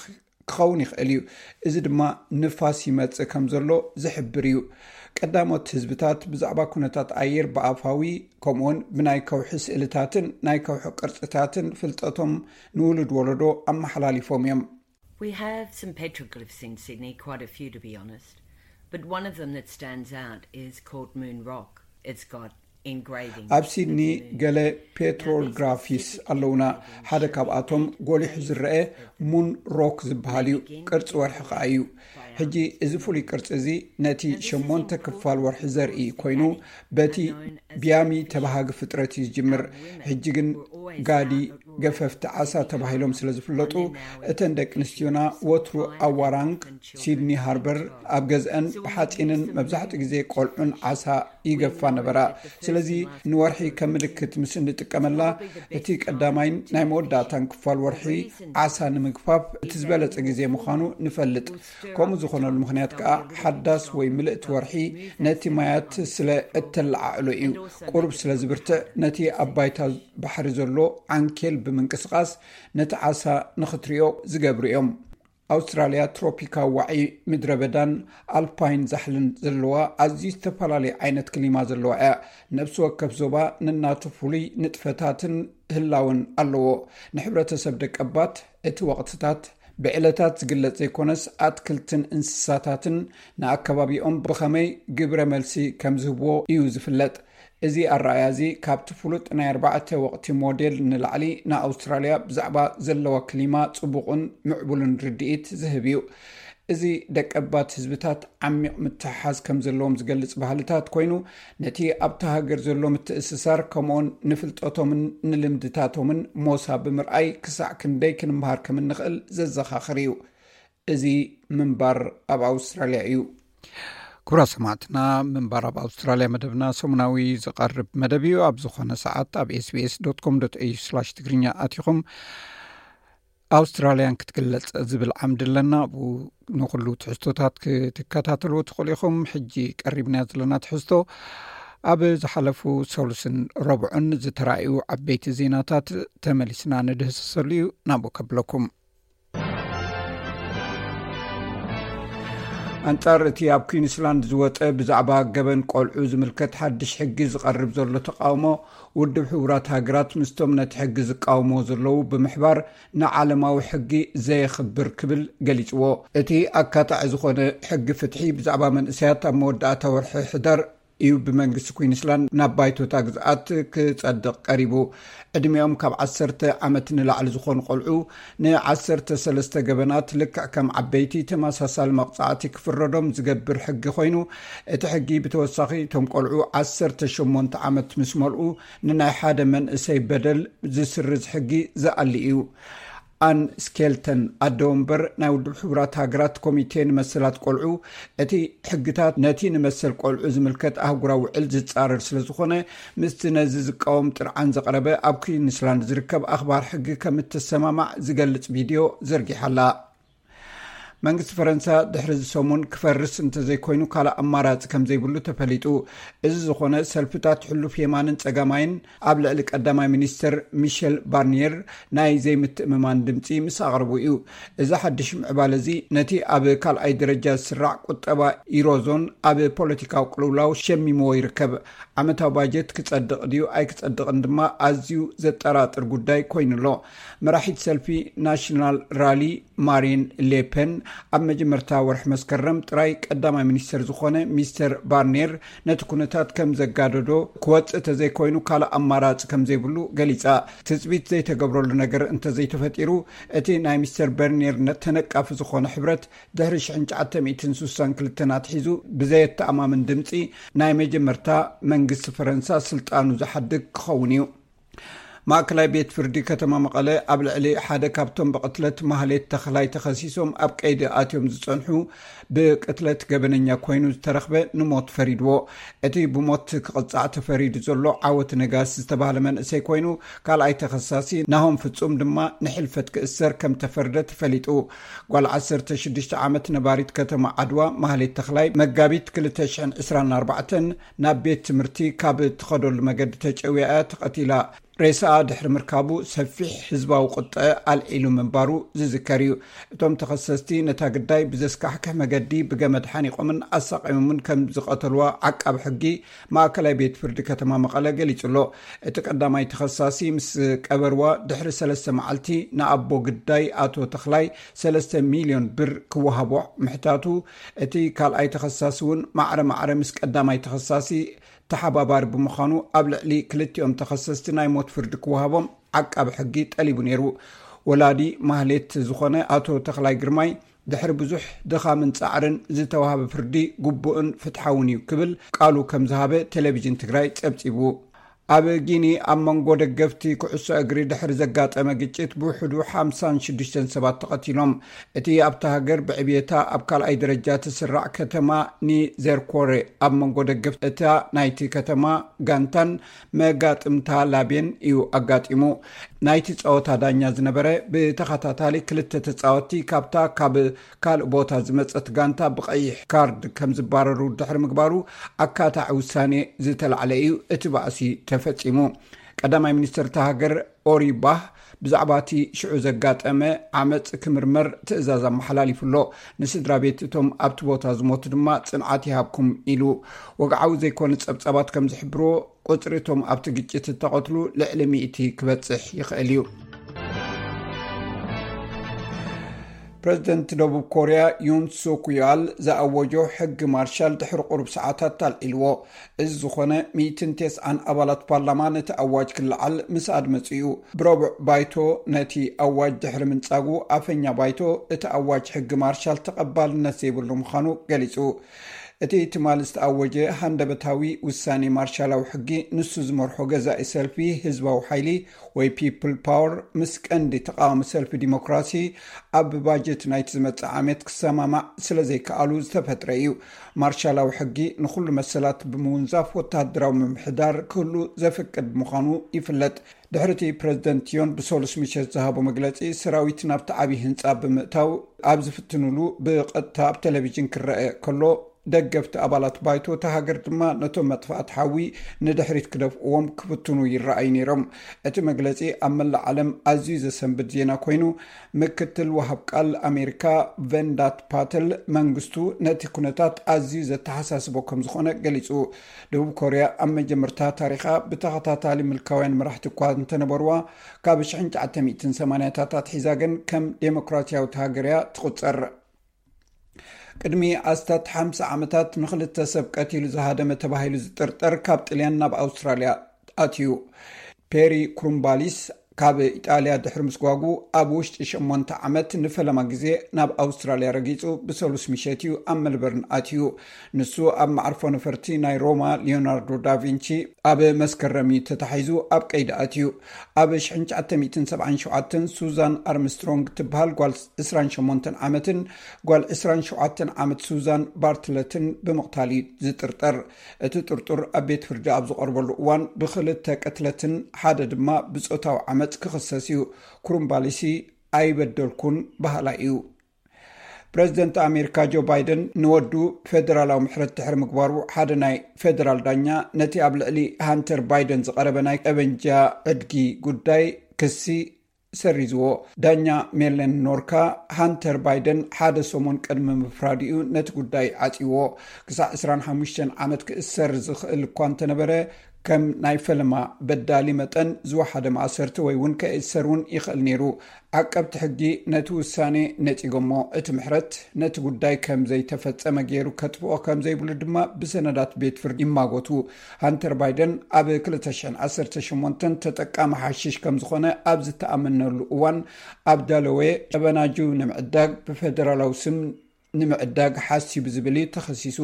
ክኸውን ይኽእል እዩ። እዚ ድማ ንፋስ ይመጽእ ከም ዘሎ ዝሕብር እዩ። ቀዳሞት ህዝብታት ብዛዕባ ኩነታት ኣየር ብኣፋዊ ከምኡውን ብናይ ከውሒ ስእልታትን ናይ ከውሒ ቅርጽታትን ፍልጠቶም ንውሉድ ወለዶ ኣመሓላሊፎም እዮም። We have some petroglyphs in Sydney, quite a few to be honest. But one of them that stands out is called Moon Rock. It's got engravings. ኣብ ሲድኒ ገለ ፔትሮግራፊስ ኣለውና። ሓደ ካብኣቶም ጎሊሑ ዝረአ ሙን ሮክ ዝበሃል እዩ። ቅርጺ ወርሒ ከኣ እዩ። ሕጂ እዚ ፍሉይ ቅርጺ እዚ ነቲ ሸሞንተ ክፋል ወርሒ ዘርኢ ኮይኑ በቲ ብያሚ ተባሃጊ ፍጥረት እዩ ዝጅምር። ሕጂ ግን ጋዲ ገፈፍቲ ዓሳ ተባሂሎም ስለ ዝፍለጡ እተን ደቂ ኣንስትዮና ወትሩ ኣብ ዋራንግ ሲድኒ ሃርበር ኣብ ገዝአን ብሓጺንን መብዛሕትኡ ግዜ ቆልዑን ዓሳ ይገፋ ነበራ። ስለዚ ንወርሒ ከም ምልክት ምስ እንጥቀመላ እቲ ቀዳማይን ናይ መወዳእታን ክፋል ወርሒ ዓሳ ንምግፋፍ እቲ ዝበለጸ ግዜ ምዃኑ ንፈልጥ። ከምኡ ዝኾነሉ ምኽንያት ከኣ ሓዳስ ወይ ምልእቲ ወርሒ ነቲ ማያት ስለ እተለዓዕሎ እዩ። ቁሩብ ስለ ዝብርትዕ ነቲ ኣብ ባይታ ባሕሪ ዘሎ ዓንኬል ብምንቅስቓስ ነቲ ዓሳ ንኽትሪኦ ዝገብሩ እዮም። ኣውስትራልያ ትሮፒካዊ ዋዒ ምድረ በዳን ኣልፓይን ዛሕልን ዘለዋ ኣዝዩ ዝተፈላለየ ዓይነት ክሊማ ዘለዋ እያ። ነብሲ ወከፍ ዞባ ነናቱ ፍሉይ ንጥፈታትን ህላወን ኣለዎ። ንሕብረተሰብ ደቀባት እቲ ወቕትታት ብዕለታት ዝግለጽ ዘይኮነስ ኣትክልትን እንስሳታትን ንኣከባቢኦም ብኸመይ ግብረ መልሲ ከም ዝህብዎ እዩ ዝፍለጥ። እዚ ኣረኣእያ እዚ ካብቲ ፍሉጥ ናይ ኣርባዕተ ወቕቲ ሞዴል ንላዕሊ ንኣውስትራልያ ብዛዕባ ዘለዋ ክሊማ ጽቡቕን ምዕቡልን ርድኢት ዝህብ እዩ። እዚ ደቀባት ህዝብታት ዓሚቕ ምትሕሓዝ ከም ዘለዎም ዝገልጽ ባህልታት ኮይኑ፣ ነቲ ኣብታ ሃገር ዘሎ ምትእስሳር፣ ከምኡውን ንፍልጠቶምን ንልምድታቶምን ሞሳ ብምርኣይ፣ ክሳዕ ክንደይ ክንምሃር ከም እንኽእል ዘዘኻኽር እዩ። እዚ ምንባር ኣብ ኣውስትራልያ እዩ። ክቡራት ሰማዕትና፣ ምንባር ኣብ ኣውስትራልያ መደብና ሰሙናዊ ዝቐርብ መደብ እዩ። ኣብ ዝኾነ ሰዓት ኣብ ኤስቢኤስ ዶት ኮም ዶት ኤዩ ስላሽ ትግርኛ ኣቲኹም ኣውስትራልያን ክትግለጽ ዝብል ዓምዲ ኣለና። ኣብኡ ንኹሉ ትሕዝቶታት ክትከታተልዎ ትኽእሉ ኢኹም። ሕጂ ቀሪብናዮ ዘለና ትሕዝቶ፣ ኣብ ዝሓለፉ ሰሉስን ረቡዕን ዝተራእዩ ዓበይቲ ዜናታት ተመሊስና ንድህሰሰሉ እዩ። ናብኡ ከብለኩም። ኣንጻር እቲ ኣብ ኩዊንስላንድ ዝወጸ ብዛዕባ ገበን ቆልዑ ዝምልከት ሓድሽ ሕጊ ዝቐርብ ዘሎ ተቃውሞ፣ ውድብ ሕቡራት ሃገራት ምስቶም ነቲ ሕጊ ዝቃወምዎ ዘለዉ ብምሕባር፣ ንዓለማዊ ሕጊ ዘየኽብር ክብል ገሊጽዎ። እቲ ኣካታዒ ዝኾነ ሕጊ ፍትሒ ብዛዕባ መንእሰያት ኣብ መወዳእታ ወርሒ ሕዳር እዩ ብመንግስቲ ኩዊንስላንድ ናብ ባይቶታ ግዝኣት ክጸድቕ ቀሪቡ። ዕድሚኦም ካብ ዓሰርተ ዓመት ንላዕሊ ዝኾኑ ቆልዑ ንዓሰርተ ሰለስተ ገበናት ልክዕ ከም ዓበይቲ ተመሳሳሊ መቕጻዕቲ ክፍረዶም ዝገብር ሕጊ ኮይኑ፣ እቲ ሕጊ ብተወሳኺ እቶም ቆልዑ ዓሰርተ ሸሞንተ ዓመት ምስ መልኡ ንናይ ሓደ መንእሰይ በደል ዝስርዝ ሕጊ ዝኣሊ እዩ። ኣን ስኬልተን፣ ኣደ ወንበር ናይ ውድብ ሕቡራት ሃገራት ኮሚቴ ንመሰላት ቆልዑ፣ እቲ ሕግታት ነቲ ንመሰል ቆልዑ ዝምልከት ኣህጉራዊ ውዕል ዝጻረር ስለ ዝኾነ፣ ምስቲ ነዚ ዝቃወም ጥርዓን ዘቕረበ ኣብ ኩዊንስላንድ ዝርከብ ኣኽባር ሕጊ ከም እተሰማማዕ ዝገልጽ ቪድዮ ዘርጊሓ ኣላ። መንግስቲ ፈረንሳ ድሕሪ እዚ ሰሙን ክፈርስ እንተዘይኮይኑ ካልእ ኣማራጺ ከም ዘይብሉ ተፈሊጡ። እዚ ዝኾነ ሰልፍታት ሕሉፍ የማንን ጸጋማይን ኣብ ልዕሊ ቀዳማይ ሚኒስተር ሚሸል ባርኒየር ናይ ዘይምትእምማን ድምጺ ምስ ኣቕረቡ እዩ። እዚ ሓድሽ ምዕባለ እዚ ነቲ ኣብ ካልኣይ ደረጃ ዝስራዕ ቁጠባ ኢሮዞን ኣብ ፖለቲካዊ ቅልውላው ሸሚምዎ ይርከብ። ዓመታዊ ባጀት ክጸድቕ ድዩ ኣይክጸድቕን ድማ ኣዝዩ ዘጠራጥር ጉዳይ ኮይኑ ኣሎ። መራሒት ሰልፊ ናሽናል ራሊ ማሪን ሌፐን ኣብ መጀመርታ ወርሒ መስከረም ጥራይ ቀዳማይ ሚኒስተር ዝኾነ ሚስተር ባርኔር ነቲ ኩነታት ከም ዘጋደዶ፣ ክወጽእ ተዘይኮይኑ ካልእ ኣማራጺ ከም ዘይብሉ ገሊጻ። ትጽቢት ዘይተገብረሉ ነገር እንተዘይተፈጢሩ፣ እቲ ናይ ሚስተር በርኔር ተነቃፊ ዝኾነ ሕብረት ድሕሪ ሽሕን ትሽዓተ ሚእትን ስሳን ክልተን ኣትሒዙ ብዘየተኣማምን ድምጺ ናይ መጀመርታ መንግስቲ ፈረንሳ ስልጣኑ ዝሓድግ ክኸውን እዩ። ማእከላይ ቤት ፍርዲ ከተማ መቐለ ኣብ ልዕሊ ሓደ ካብቶም ብቕትለት ማህሌት ተኽላይ ተኸሲሶም ኣብ ቀይዲ ኣትዮም ዝጸንሑ፣ ብቅትለት ገበነኛ ኮይኑ ዝተረኽበ ንሞት ፈሪድዎ። እቲ ብሞት ክቕጻዕ ተፈሪዱ ዘሎ ዓወት ነጋሲ ዝተባህለ መንእሰይ ኮይኑ፣ ካልኣይ ተኸሳሲ ናሆም ፍጹም ድማ ንሕልፈት ክእሰር ከም ተፈርደ ተፈሊጡ። ጓል ዓሰርተ ሽዱሽተ ዓመት ነባሪት ከተማ ዓድዋ ማህሌት ተኽላይ መጋቢት ክልተ ሽሕን ዕስራን ኣርባዕተን ናብ ቤት ትምህርቲ ካብ እትኸደሉ መገዲ ተጨውያ እያ ተቐቲላ። ሬሳኣ ድሕሪ ምርካቡ ሰፊሕ ህዝባዊ ቁጠዐ ኣልዒሉ ምንባሩ ዝዝከር እዩ። እቶም ተኸሰስቲ ነታ ግዳይ ብዘስካሕክሕ መገዲ ብገመድ ሓኒቖምን ኣሳቒሞምን ከም ዝቐተልዋ ዓቃቢ ሕጊ ማእከላይ ቤት ፍርዲ ከተማ መቐለ ገሊጹ ኣሎ። እቲ ቀዳማይ ተኸሳሲ ምስ ቀበርዋ ድሕሪ ሰለስተ መዓልቲ ንኣቦ ግዳይ ኣቶ ተኽላይ ሰለስተ ሚልዮን ብር ክወሃቦ ምሕታቱ፣ እቲ ካልኣይ ተኸሳሲ እውን ማዕረ ማዕረ ምስ ቀዳማይ ተኸሳሲ ተሓባባሪ ብምዃኑ ኣብ ልዕሊ ክልቲኦም ተኸሰስቲ ናይ ሞት ፍርዲ ክወሃቦም ዓቃቢ ሕጊ ጠሊቡ ነይሩ። ወላዲ ማህሌት ዝኾነ ኣቶ ተኽላይ ግርማይ ድሕሪ ብዙሕ ድኻምን ጻዕርን ዝተዋህበ ፍርዲ ግቡእን ፍትሓውን እዩ ክብል ቃሉ ከም ዝሃበ ቴሌቪዥን ትግራይ ጸብጺቡ። ኣብ ጊኒ ኣብ መንጎ ደገፍቲ ኩዕሶ እግሪ ድሕሪ ዘጋጠመ ግጭት ብውሕዱ ሓምሳን ሽዱሽተን ሰባት ተቐቲሎም። እቲ ኣብታ ሃገር ብዕብየታ ኣብ ካልኣይ ደረጃ ትስራዕ ከተማ ኒዘርኮሬ ኣብ መንጎ ደገፍቲ እታ ናይቲ ከተማ ጋንታን መጋጥምታ ላቤን እዩ ኣጋጢሙ። ናይቲ ጸወታ ዳኛ ዝነበረ ብተኸታታሊ ክልተ ተጻወትቲ ካብታ ካብ ካልእ ቦታ ዝመጸት ጋንታ ብቐይሕ ካርድ ከም ዝባረሩ ድሕሪ ምግባሩ ኣካታዒ ውሳኔ ዝተላዕለ እዩ እቲ ባእሲ ተፈጺሙ። ቀዳማይ ሚኒስተር እታ ሃገር ኦሪ ባህ ብዛዕባ እቲ ሽዑ ዘጋጠመ ዓመጽ ክምርመር ትእዛዝ ኣመሓላሊፉ ኣሎ። ንስድራ ቤት እቶም ኣብቲ ቦታ ዝሞቱ ድማ ጽንዓት ይሃብኩም ኢሉ። ወግዓዊ ዘይኮነ ጸብጻባት ከም ዝሕብርዎ፣ ቁጽሪ እቶም ኣብቲ ግጭት እተቐትሉ ልዕሊ ሚእቲ ክበጽሕ ይኽእል እዩ። ፕረዚደንት ደቡብ ኮርያ ዩን ሱክ ዮል ዝኣወጆ ሕጊ ማርሻል ድሕሪ ቁሩብ ሰዓታት ኣልዒልዎ። እዚ ዝኾነ ሚእትን ተስዓን ኣባላት ፓርላማ ነቲ ኣዋጅ ክለዓል ምስ ኣድመጹ እዩ። ብረቡዕ ባይቶ ነቲ ኣዋጅ ድሕሪ ምንጻጉ፣ ኣፈኛ ባይቶ እቲ ኣዋጅ ሕጊ ማርሻል ተቐባልነት ዘይብሉ ምዃኑ ገሊጹ። እቲ ትማሊ ዝተኣወጀ ሃንደበታዊ ውሳኔ ማርሻላዊ ሕጊ፣ ንሱ ዝመርሖ ገዛኢ ሰልፊ ህዝባዊ ሓይሊ ወይ ፒፕል ፓወር ምስ ቀንዲ ተቃዋሚ ሰልፊ ዲሞክራሲ ኣብ ባጀት ናይቲ ዝመጽእ ዓመት ክሰማማዕ ስለ ዘይከኣሉ ዝተፈጥረ እዩ። ማርሻላዊ ሕጊ ንኹሉ መሰላት ብምውንዛፍ ወተሃደራዊ ምምሕዳር ክህሉ ዘፍቅድ ምዃኑ ይፍለጥ። ድሕሪ እቲ ፕረዚደንት ዮን ብሰሉስ ምሸት ዝሃቦ መግለጺ፣ ሰራዊት ናብቲ ዓብዪ ህንጻ ብምእታው ኣብ ዝፍትኑሉ ብቐጥታ ኣብ ቴሌቪዥን ክረአ ከሎ፣ ደገፍቲ ኣባላት ባይቶ እታ ሃገር ድማ ነቶም መጥፋእቲ ሓዊ ንድሕሪት ክደፍእዎም ክፍትኑ ይረኣዩ ነይሮም። እቲ መግለጺ ኣብ መላእ ዓለም ኣዝዩ ዘሰንብድ ዜና ኮይኑ፣ ምክትል ወሃብ ቃል ኣሜሪካ ቨንዳት ፓተል መንግስቱ ነቲ ኩነታት ኣዝዩ ዘተሓሳስቦ ከም ዝኾነ ገሊጹ። ደቡብ ኮርያ ኣብ መጀመርታ ታሪኻ ብተኸታታሊ ምልካውያን መራሕቲ እኳ እንተነበርዋ፣ ካብ ሽሕን ትሽዓተ ሚእትን ሰማንያታት ኣትሒዛ ግን ከም ዴሞክራሲያዊት ሃገር እያ ትቑጸር። ቅድሚ ኣስታት ሓምሳ ዓመታት ንኽልተ ሰብ ቀቲሉ ዝሃደመ ተባሂሉ ዝጥርጠር ካብ ጥልያን ናብ ኣውስትራልያ ኣትዩ። ፔሪ ክሩምባሊስ ካብ ኢጣልያ ድሕሪ ምስጓጉ፣ ኣብ ውሽጢ ሸሞንተ ዓመት ንፈለማ ግዜ ናብ ኣውስትራልያ ረጊጹ ብሰሉስ ምሸት እዩ ኣብ መልበርን ኣትዩ። ንሱ ኣብ መዓርፎ ነፈርቲ ናይ ሮማ ሊዮናርዶ ዳቪንቺ ኣብ መስከረም እዩ ተታሒዙ ኣብ ቀይዲ ኣትዩ። ኣብ ሽሕን ትሽዓተ ሚእትን ሰብዓን ሸውዓተን ሱዛን ኣርምስትሮንግ ትበሃል ጓል ዕስራን ሸሞንተን ዓመትን ጓል ዕስራን ሸውዓተን ዓመት ሱዛን ባርትለትን ብምቕታል እዩ ዝጥርጠር። እቲ ጥርጡር ኣብ ቤት ፍርዲ ኣብ ዝቐርበሉ እዋን ብኽልተ ቅትለትን ሓደ ድማ ብጾታዊ ዓመጽ ክኽሰስ እዩ። ክሩምባሊሲ ኣይበደልኩን በሃላይ እዩ። ፕረዚደንት ኣሜሪካ ጆ ባይደን ንወዱ ፌደራላዊ ምሕረት ድሕሪ ምግባሩ፣ ሓደ ናይ ፌደራል ዳኛ ነቲ ኣብ ልዕሊ ሃንተር ባይደን ዝቐረበ ናይ ጠበንጃ ዕድጊ ጉዳይ ክሲ ሰሪዝዎ። ዳኛ ሜለን ኖርካ፣ ሃንተር ባይደን ሓደ ሰሙን ቅድሚ ምፍራዱ እዩ ነቲ ጉዳይ ዓጽይዎ። ክሳዕ ዕስራን ሓሙሽተን ዓመት ክእሰር ዝኽእል እኳ እንተነበረ፣ ከም ናይ ፈለማ በዳሊ መጠን ዝወሓደ ማእሰርቲ ወይ እውን ከእሰር እውን ይኽእል ነይሩ። ዓቀብቲ ሕጊ ነቲ ውሳኔ ነጺጎሞ፣ እቲ ምሕረት ነቲ ጉዳይ ከም ዘይተፈጸመ ገይሩ ከጥፍኦ ከም ዘይብሉ ድማ ብሰነዳት ቤት ፍርዲ ይማጎቱ። ሃንተር ባይደን ኣብ ክልተ ሽሕን ዓሰርተ ሸሞንተን ተጠቃሚ ሓሽሽ ከም ዝኾነ ኣብ ዝተኣመነሉ እዋን፣ ኣብ ዳለዌ ጠበናጁ ንምዕዳግ ብፌደራላዊ ስም ንምዕዳግ ሓሲቡ ዝብል እዩ ተኸሲሱ።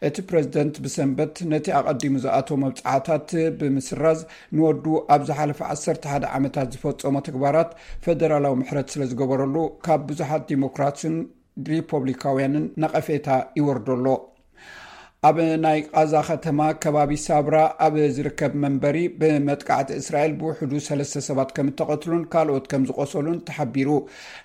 እቲ ፕረዚደንት ብሰንበት ነቲ ኣቐዲሙ ዝኣተዎ መብጽዓታት ብምስራዝ፣ ንወዱ ኣብ ዝሓለፈ ዓሰርተ ሓደ ዓመታት ዝፈጸሞ ተግባራት ፌደራላዊ ምሕረት ስለ ዝገበረሉ፣ ካብ ብዙሓት ዲሞክራትን ሪፖብሊካውያንን ነቐፌታ ይወርዶ ኣሎ። ኣብ ናይ ቃዛ ከተማ ከባቢ ሳብራ ኣብ ዝርከብ መንበሪ ብመጥቃዕቲ እስራኤል ብውሕዱ ሰለስተ ሰባት ከም እተቐትሉን ካልኦት ከም ዝቆሰሉን ተሓቢሩ።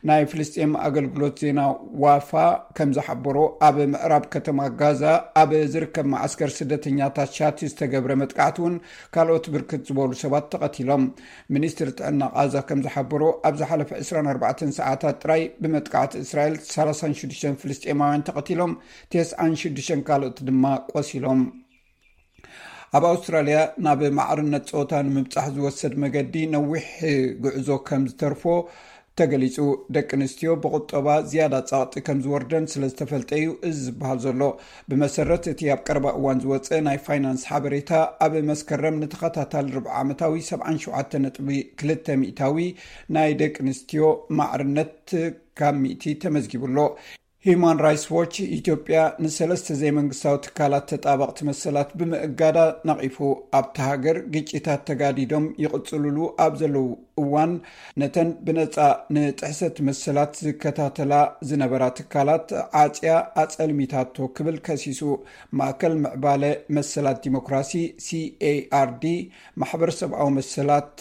ናይ ፍልስጤም ኣገልግሎት ዜና ዋፋ ከም ዝሓበሮ፣ ኣብ ምዕራብ ከተማ ጋዛ ኣብ ዝርከብ መዓስከር ስደተኛታት ሻቲ ዝተገብረ መጥቃዕቲ እውን ካልኦት ብርክት ዝበሉ ሰባት ተቐቲሎም። ሚኒስትሪ ጥዕና ቃዛ ከም ዝሓበሮ፣ ኣብ ዝሓለፈ ዕስራን ኣርባዕተን ሰዓታት ጥራይ ብመጥቃዕቲ እስራኤል ሰላሳን ሽዱሽተን ፍልስጤማውያን ተቐቲሎም፣ ተስዓን ሽዱሽተን ካልኦት ድማ ቆሲሎም። ኣብ ኣውስትራልያ ናብ ማዕርነት ጾታ ንምብጻሕ ዝወሰድ መገዲ ነዊሕ ጉዕዞ ከም ዝተርፎ ተገሊጹ። ደቂ ኣንስትዮ ብቁጠባ ዝያዳ ጸቕጢ ከም ዝወርደን ስለ ዝተፈልጠ እዩ እዚ ዝበሃል ዘሎ። ብመሰረት እቲ ኣብ ቀረባ እዋን ዝወጸ ናይ ፋይናንስ ሓበሬታ፣ ኣብ መስከረም ንተኸታታሊ ርብዓ ዓመታዊ ሰብዓን ሸውዓተን ነጥቢ ክልተ ሚእታዊ ናይ ደቂ ኣንስትዮ ማዕርነት ካብ ሚእቲ ተመዝጊቡ ኣሎ። ሂዩማን ራይትስ ዎች ኢትዮጵያ ንሰለስተ ዘይመንግስታዊ ትካላት ተጣበቕቲ መሰላት ብምእጋዳ ነቒፉ። ኣብታ ሃገር ግጭታት ተጋዲዶም ይቕጽልሉ ኣብ ዘለዉ እዋን፣ ነተን ብነጻ ንጥሕሰት መሰላት ዝከታተላ ዝነበራ ትካላት ዓጽያ ኣጸልሚታቶ ክብል ከሲሱ። ማእከል ምዕባለ መሰላት ዲሞክራሲ፣ ሲኤኣርዲ፣ ማሕበር ሰብኣዊ መሰላት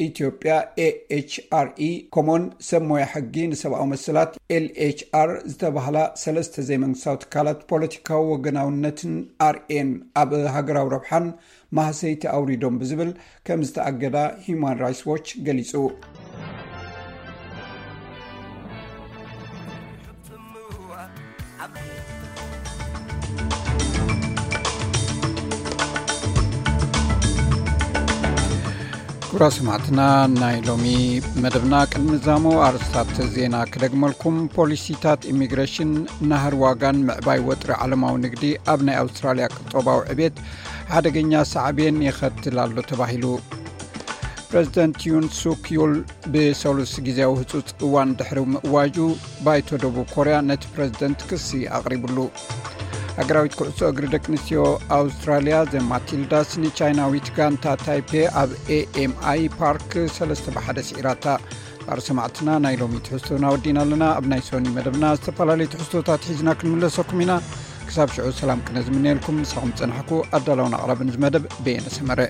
ኢትዮጵያ፣ ኤኤችአርኢ፣ ከምኡውን ሰብ ሞያ ሕጊ ንሰብኣዊ መሰላት፣ ኤልኤችኣር፣ ዝተባህላ ሰለስተ ዘይመንግስታዊ ትካላት ፖለቲካዊ ወገናውነትን ኣርእየን ኣብ ሃገራዊ ረብሓን ማህሰይቲ ኣውሪዶም ብዝብል ከም ዝተኣገዳ ሂዩማን ራይትስ ዎች ገሊጹ። ክቡራት ሰማዕትና፣ ናይ ሎሚ መደብና ቅድሚ ዛሞ ኣርእስታት ዜና ክደግመልኩም። ፖሊሲታት ኢሚግሬሽን፣ ናህሪ ዋጋን ምዕባይ ወጥሪ ዓለማዊ ንግዲ ኣብ ናይ ኣውስትራልያ ቁጠባዊ ዕቤት ሓደገኛ ሳዕቤን የኸትል ኣሎ ተባሂሉ። ፕረዚደንት ዩን ሱክ ዩል ብሰሉስ ግዜያዊ ህጹጽ እዋን ድሕሪ ምእዋጁ፣ ባይቶ ደቡብ ኮርያ ነቲ ፕረዚደንት ክሲ ኣቕሪብሉ። ሃገራዊት ኩዕሶ እግሪ ደቂ ኣንስትዮ ኣውስትራልያ ዘ ማቲልዳስ ንቻይናዊት ጋንታ ታይፔ ኣብ ኤኤምኣይ ፓርክ ሰለስተ ብሓደ ስዒራታ። ባር ሰማዕትና፣ ናይ ሎሚ ትሕዝቶና ወዲና ኣለና። ኣብ ናይ ሶኒ መደብና ዝተፈላለዩ ትሕዝቶታት ሒዝና ክንምለሰኩም ኢና። ክሳብ ሽዑ ሰላም ቅነ ዝምነየልኩም፣ ምሳኹም ጸናሕኩ ኣዳላውን ኣቕራብን እዚ መደብ በየነ ሰመረ።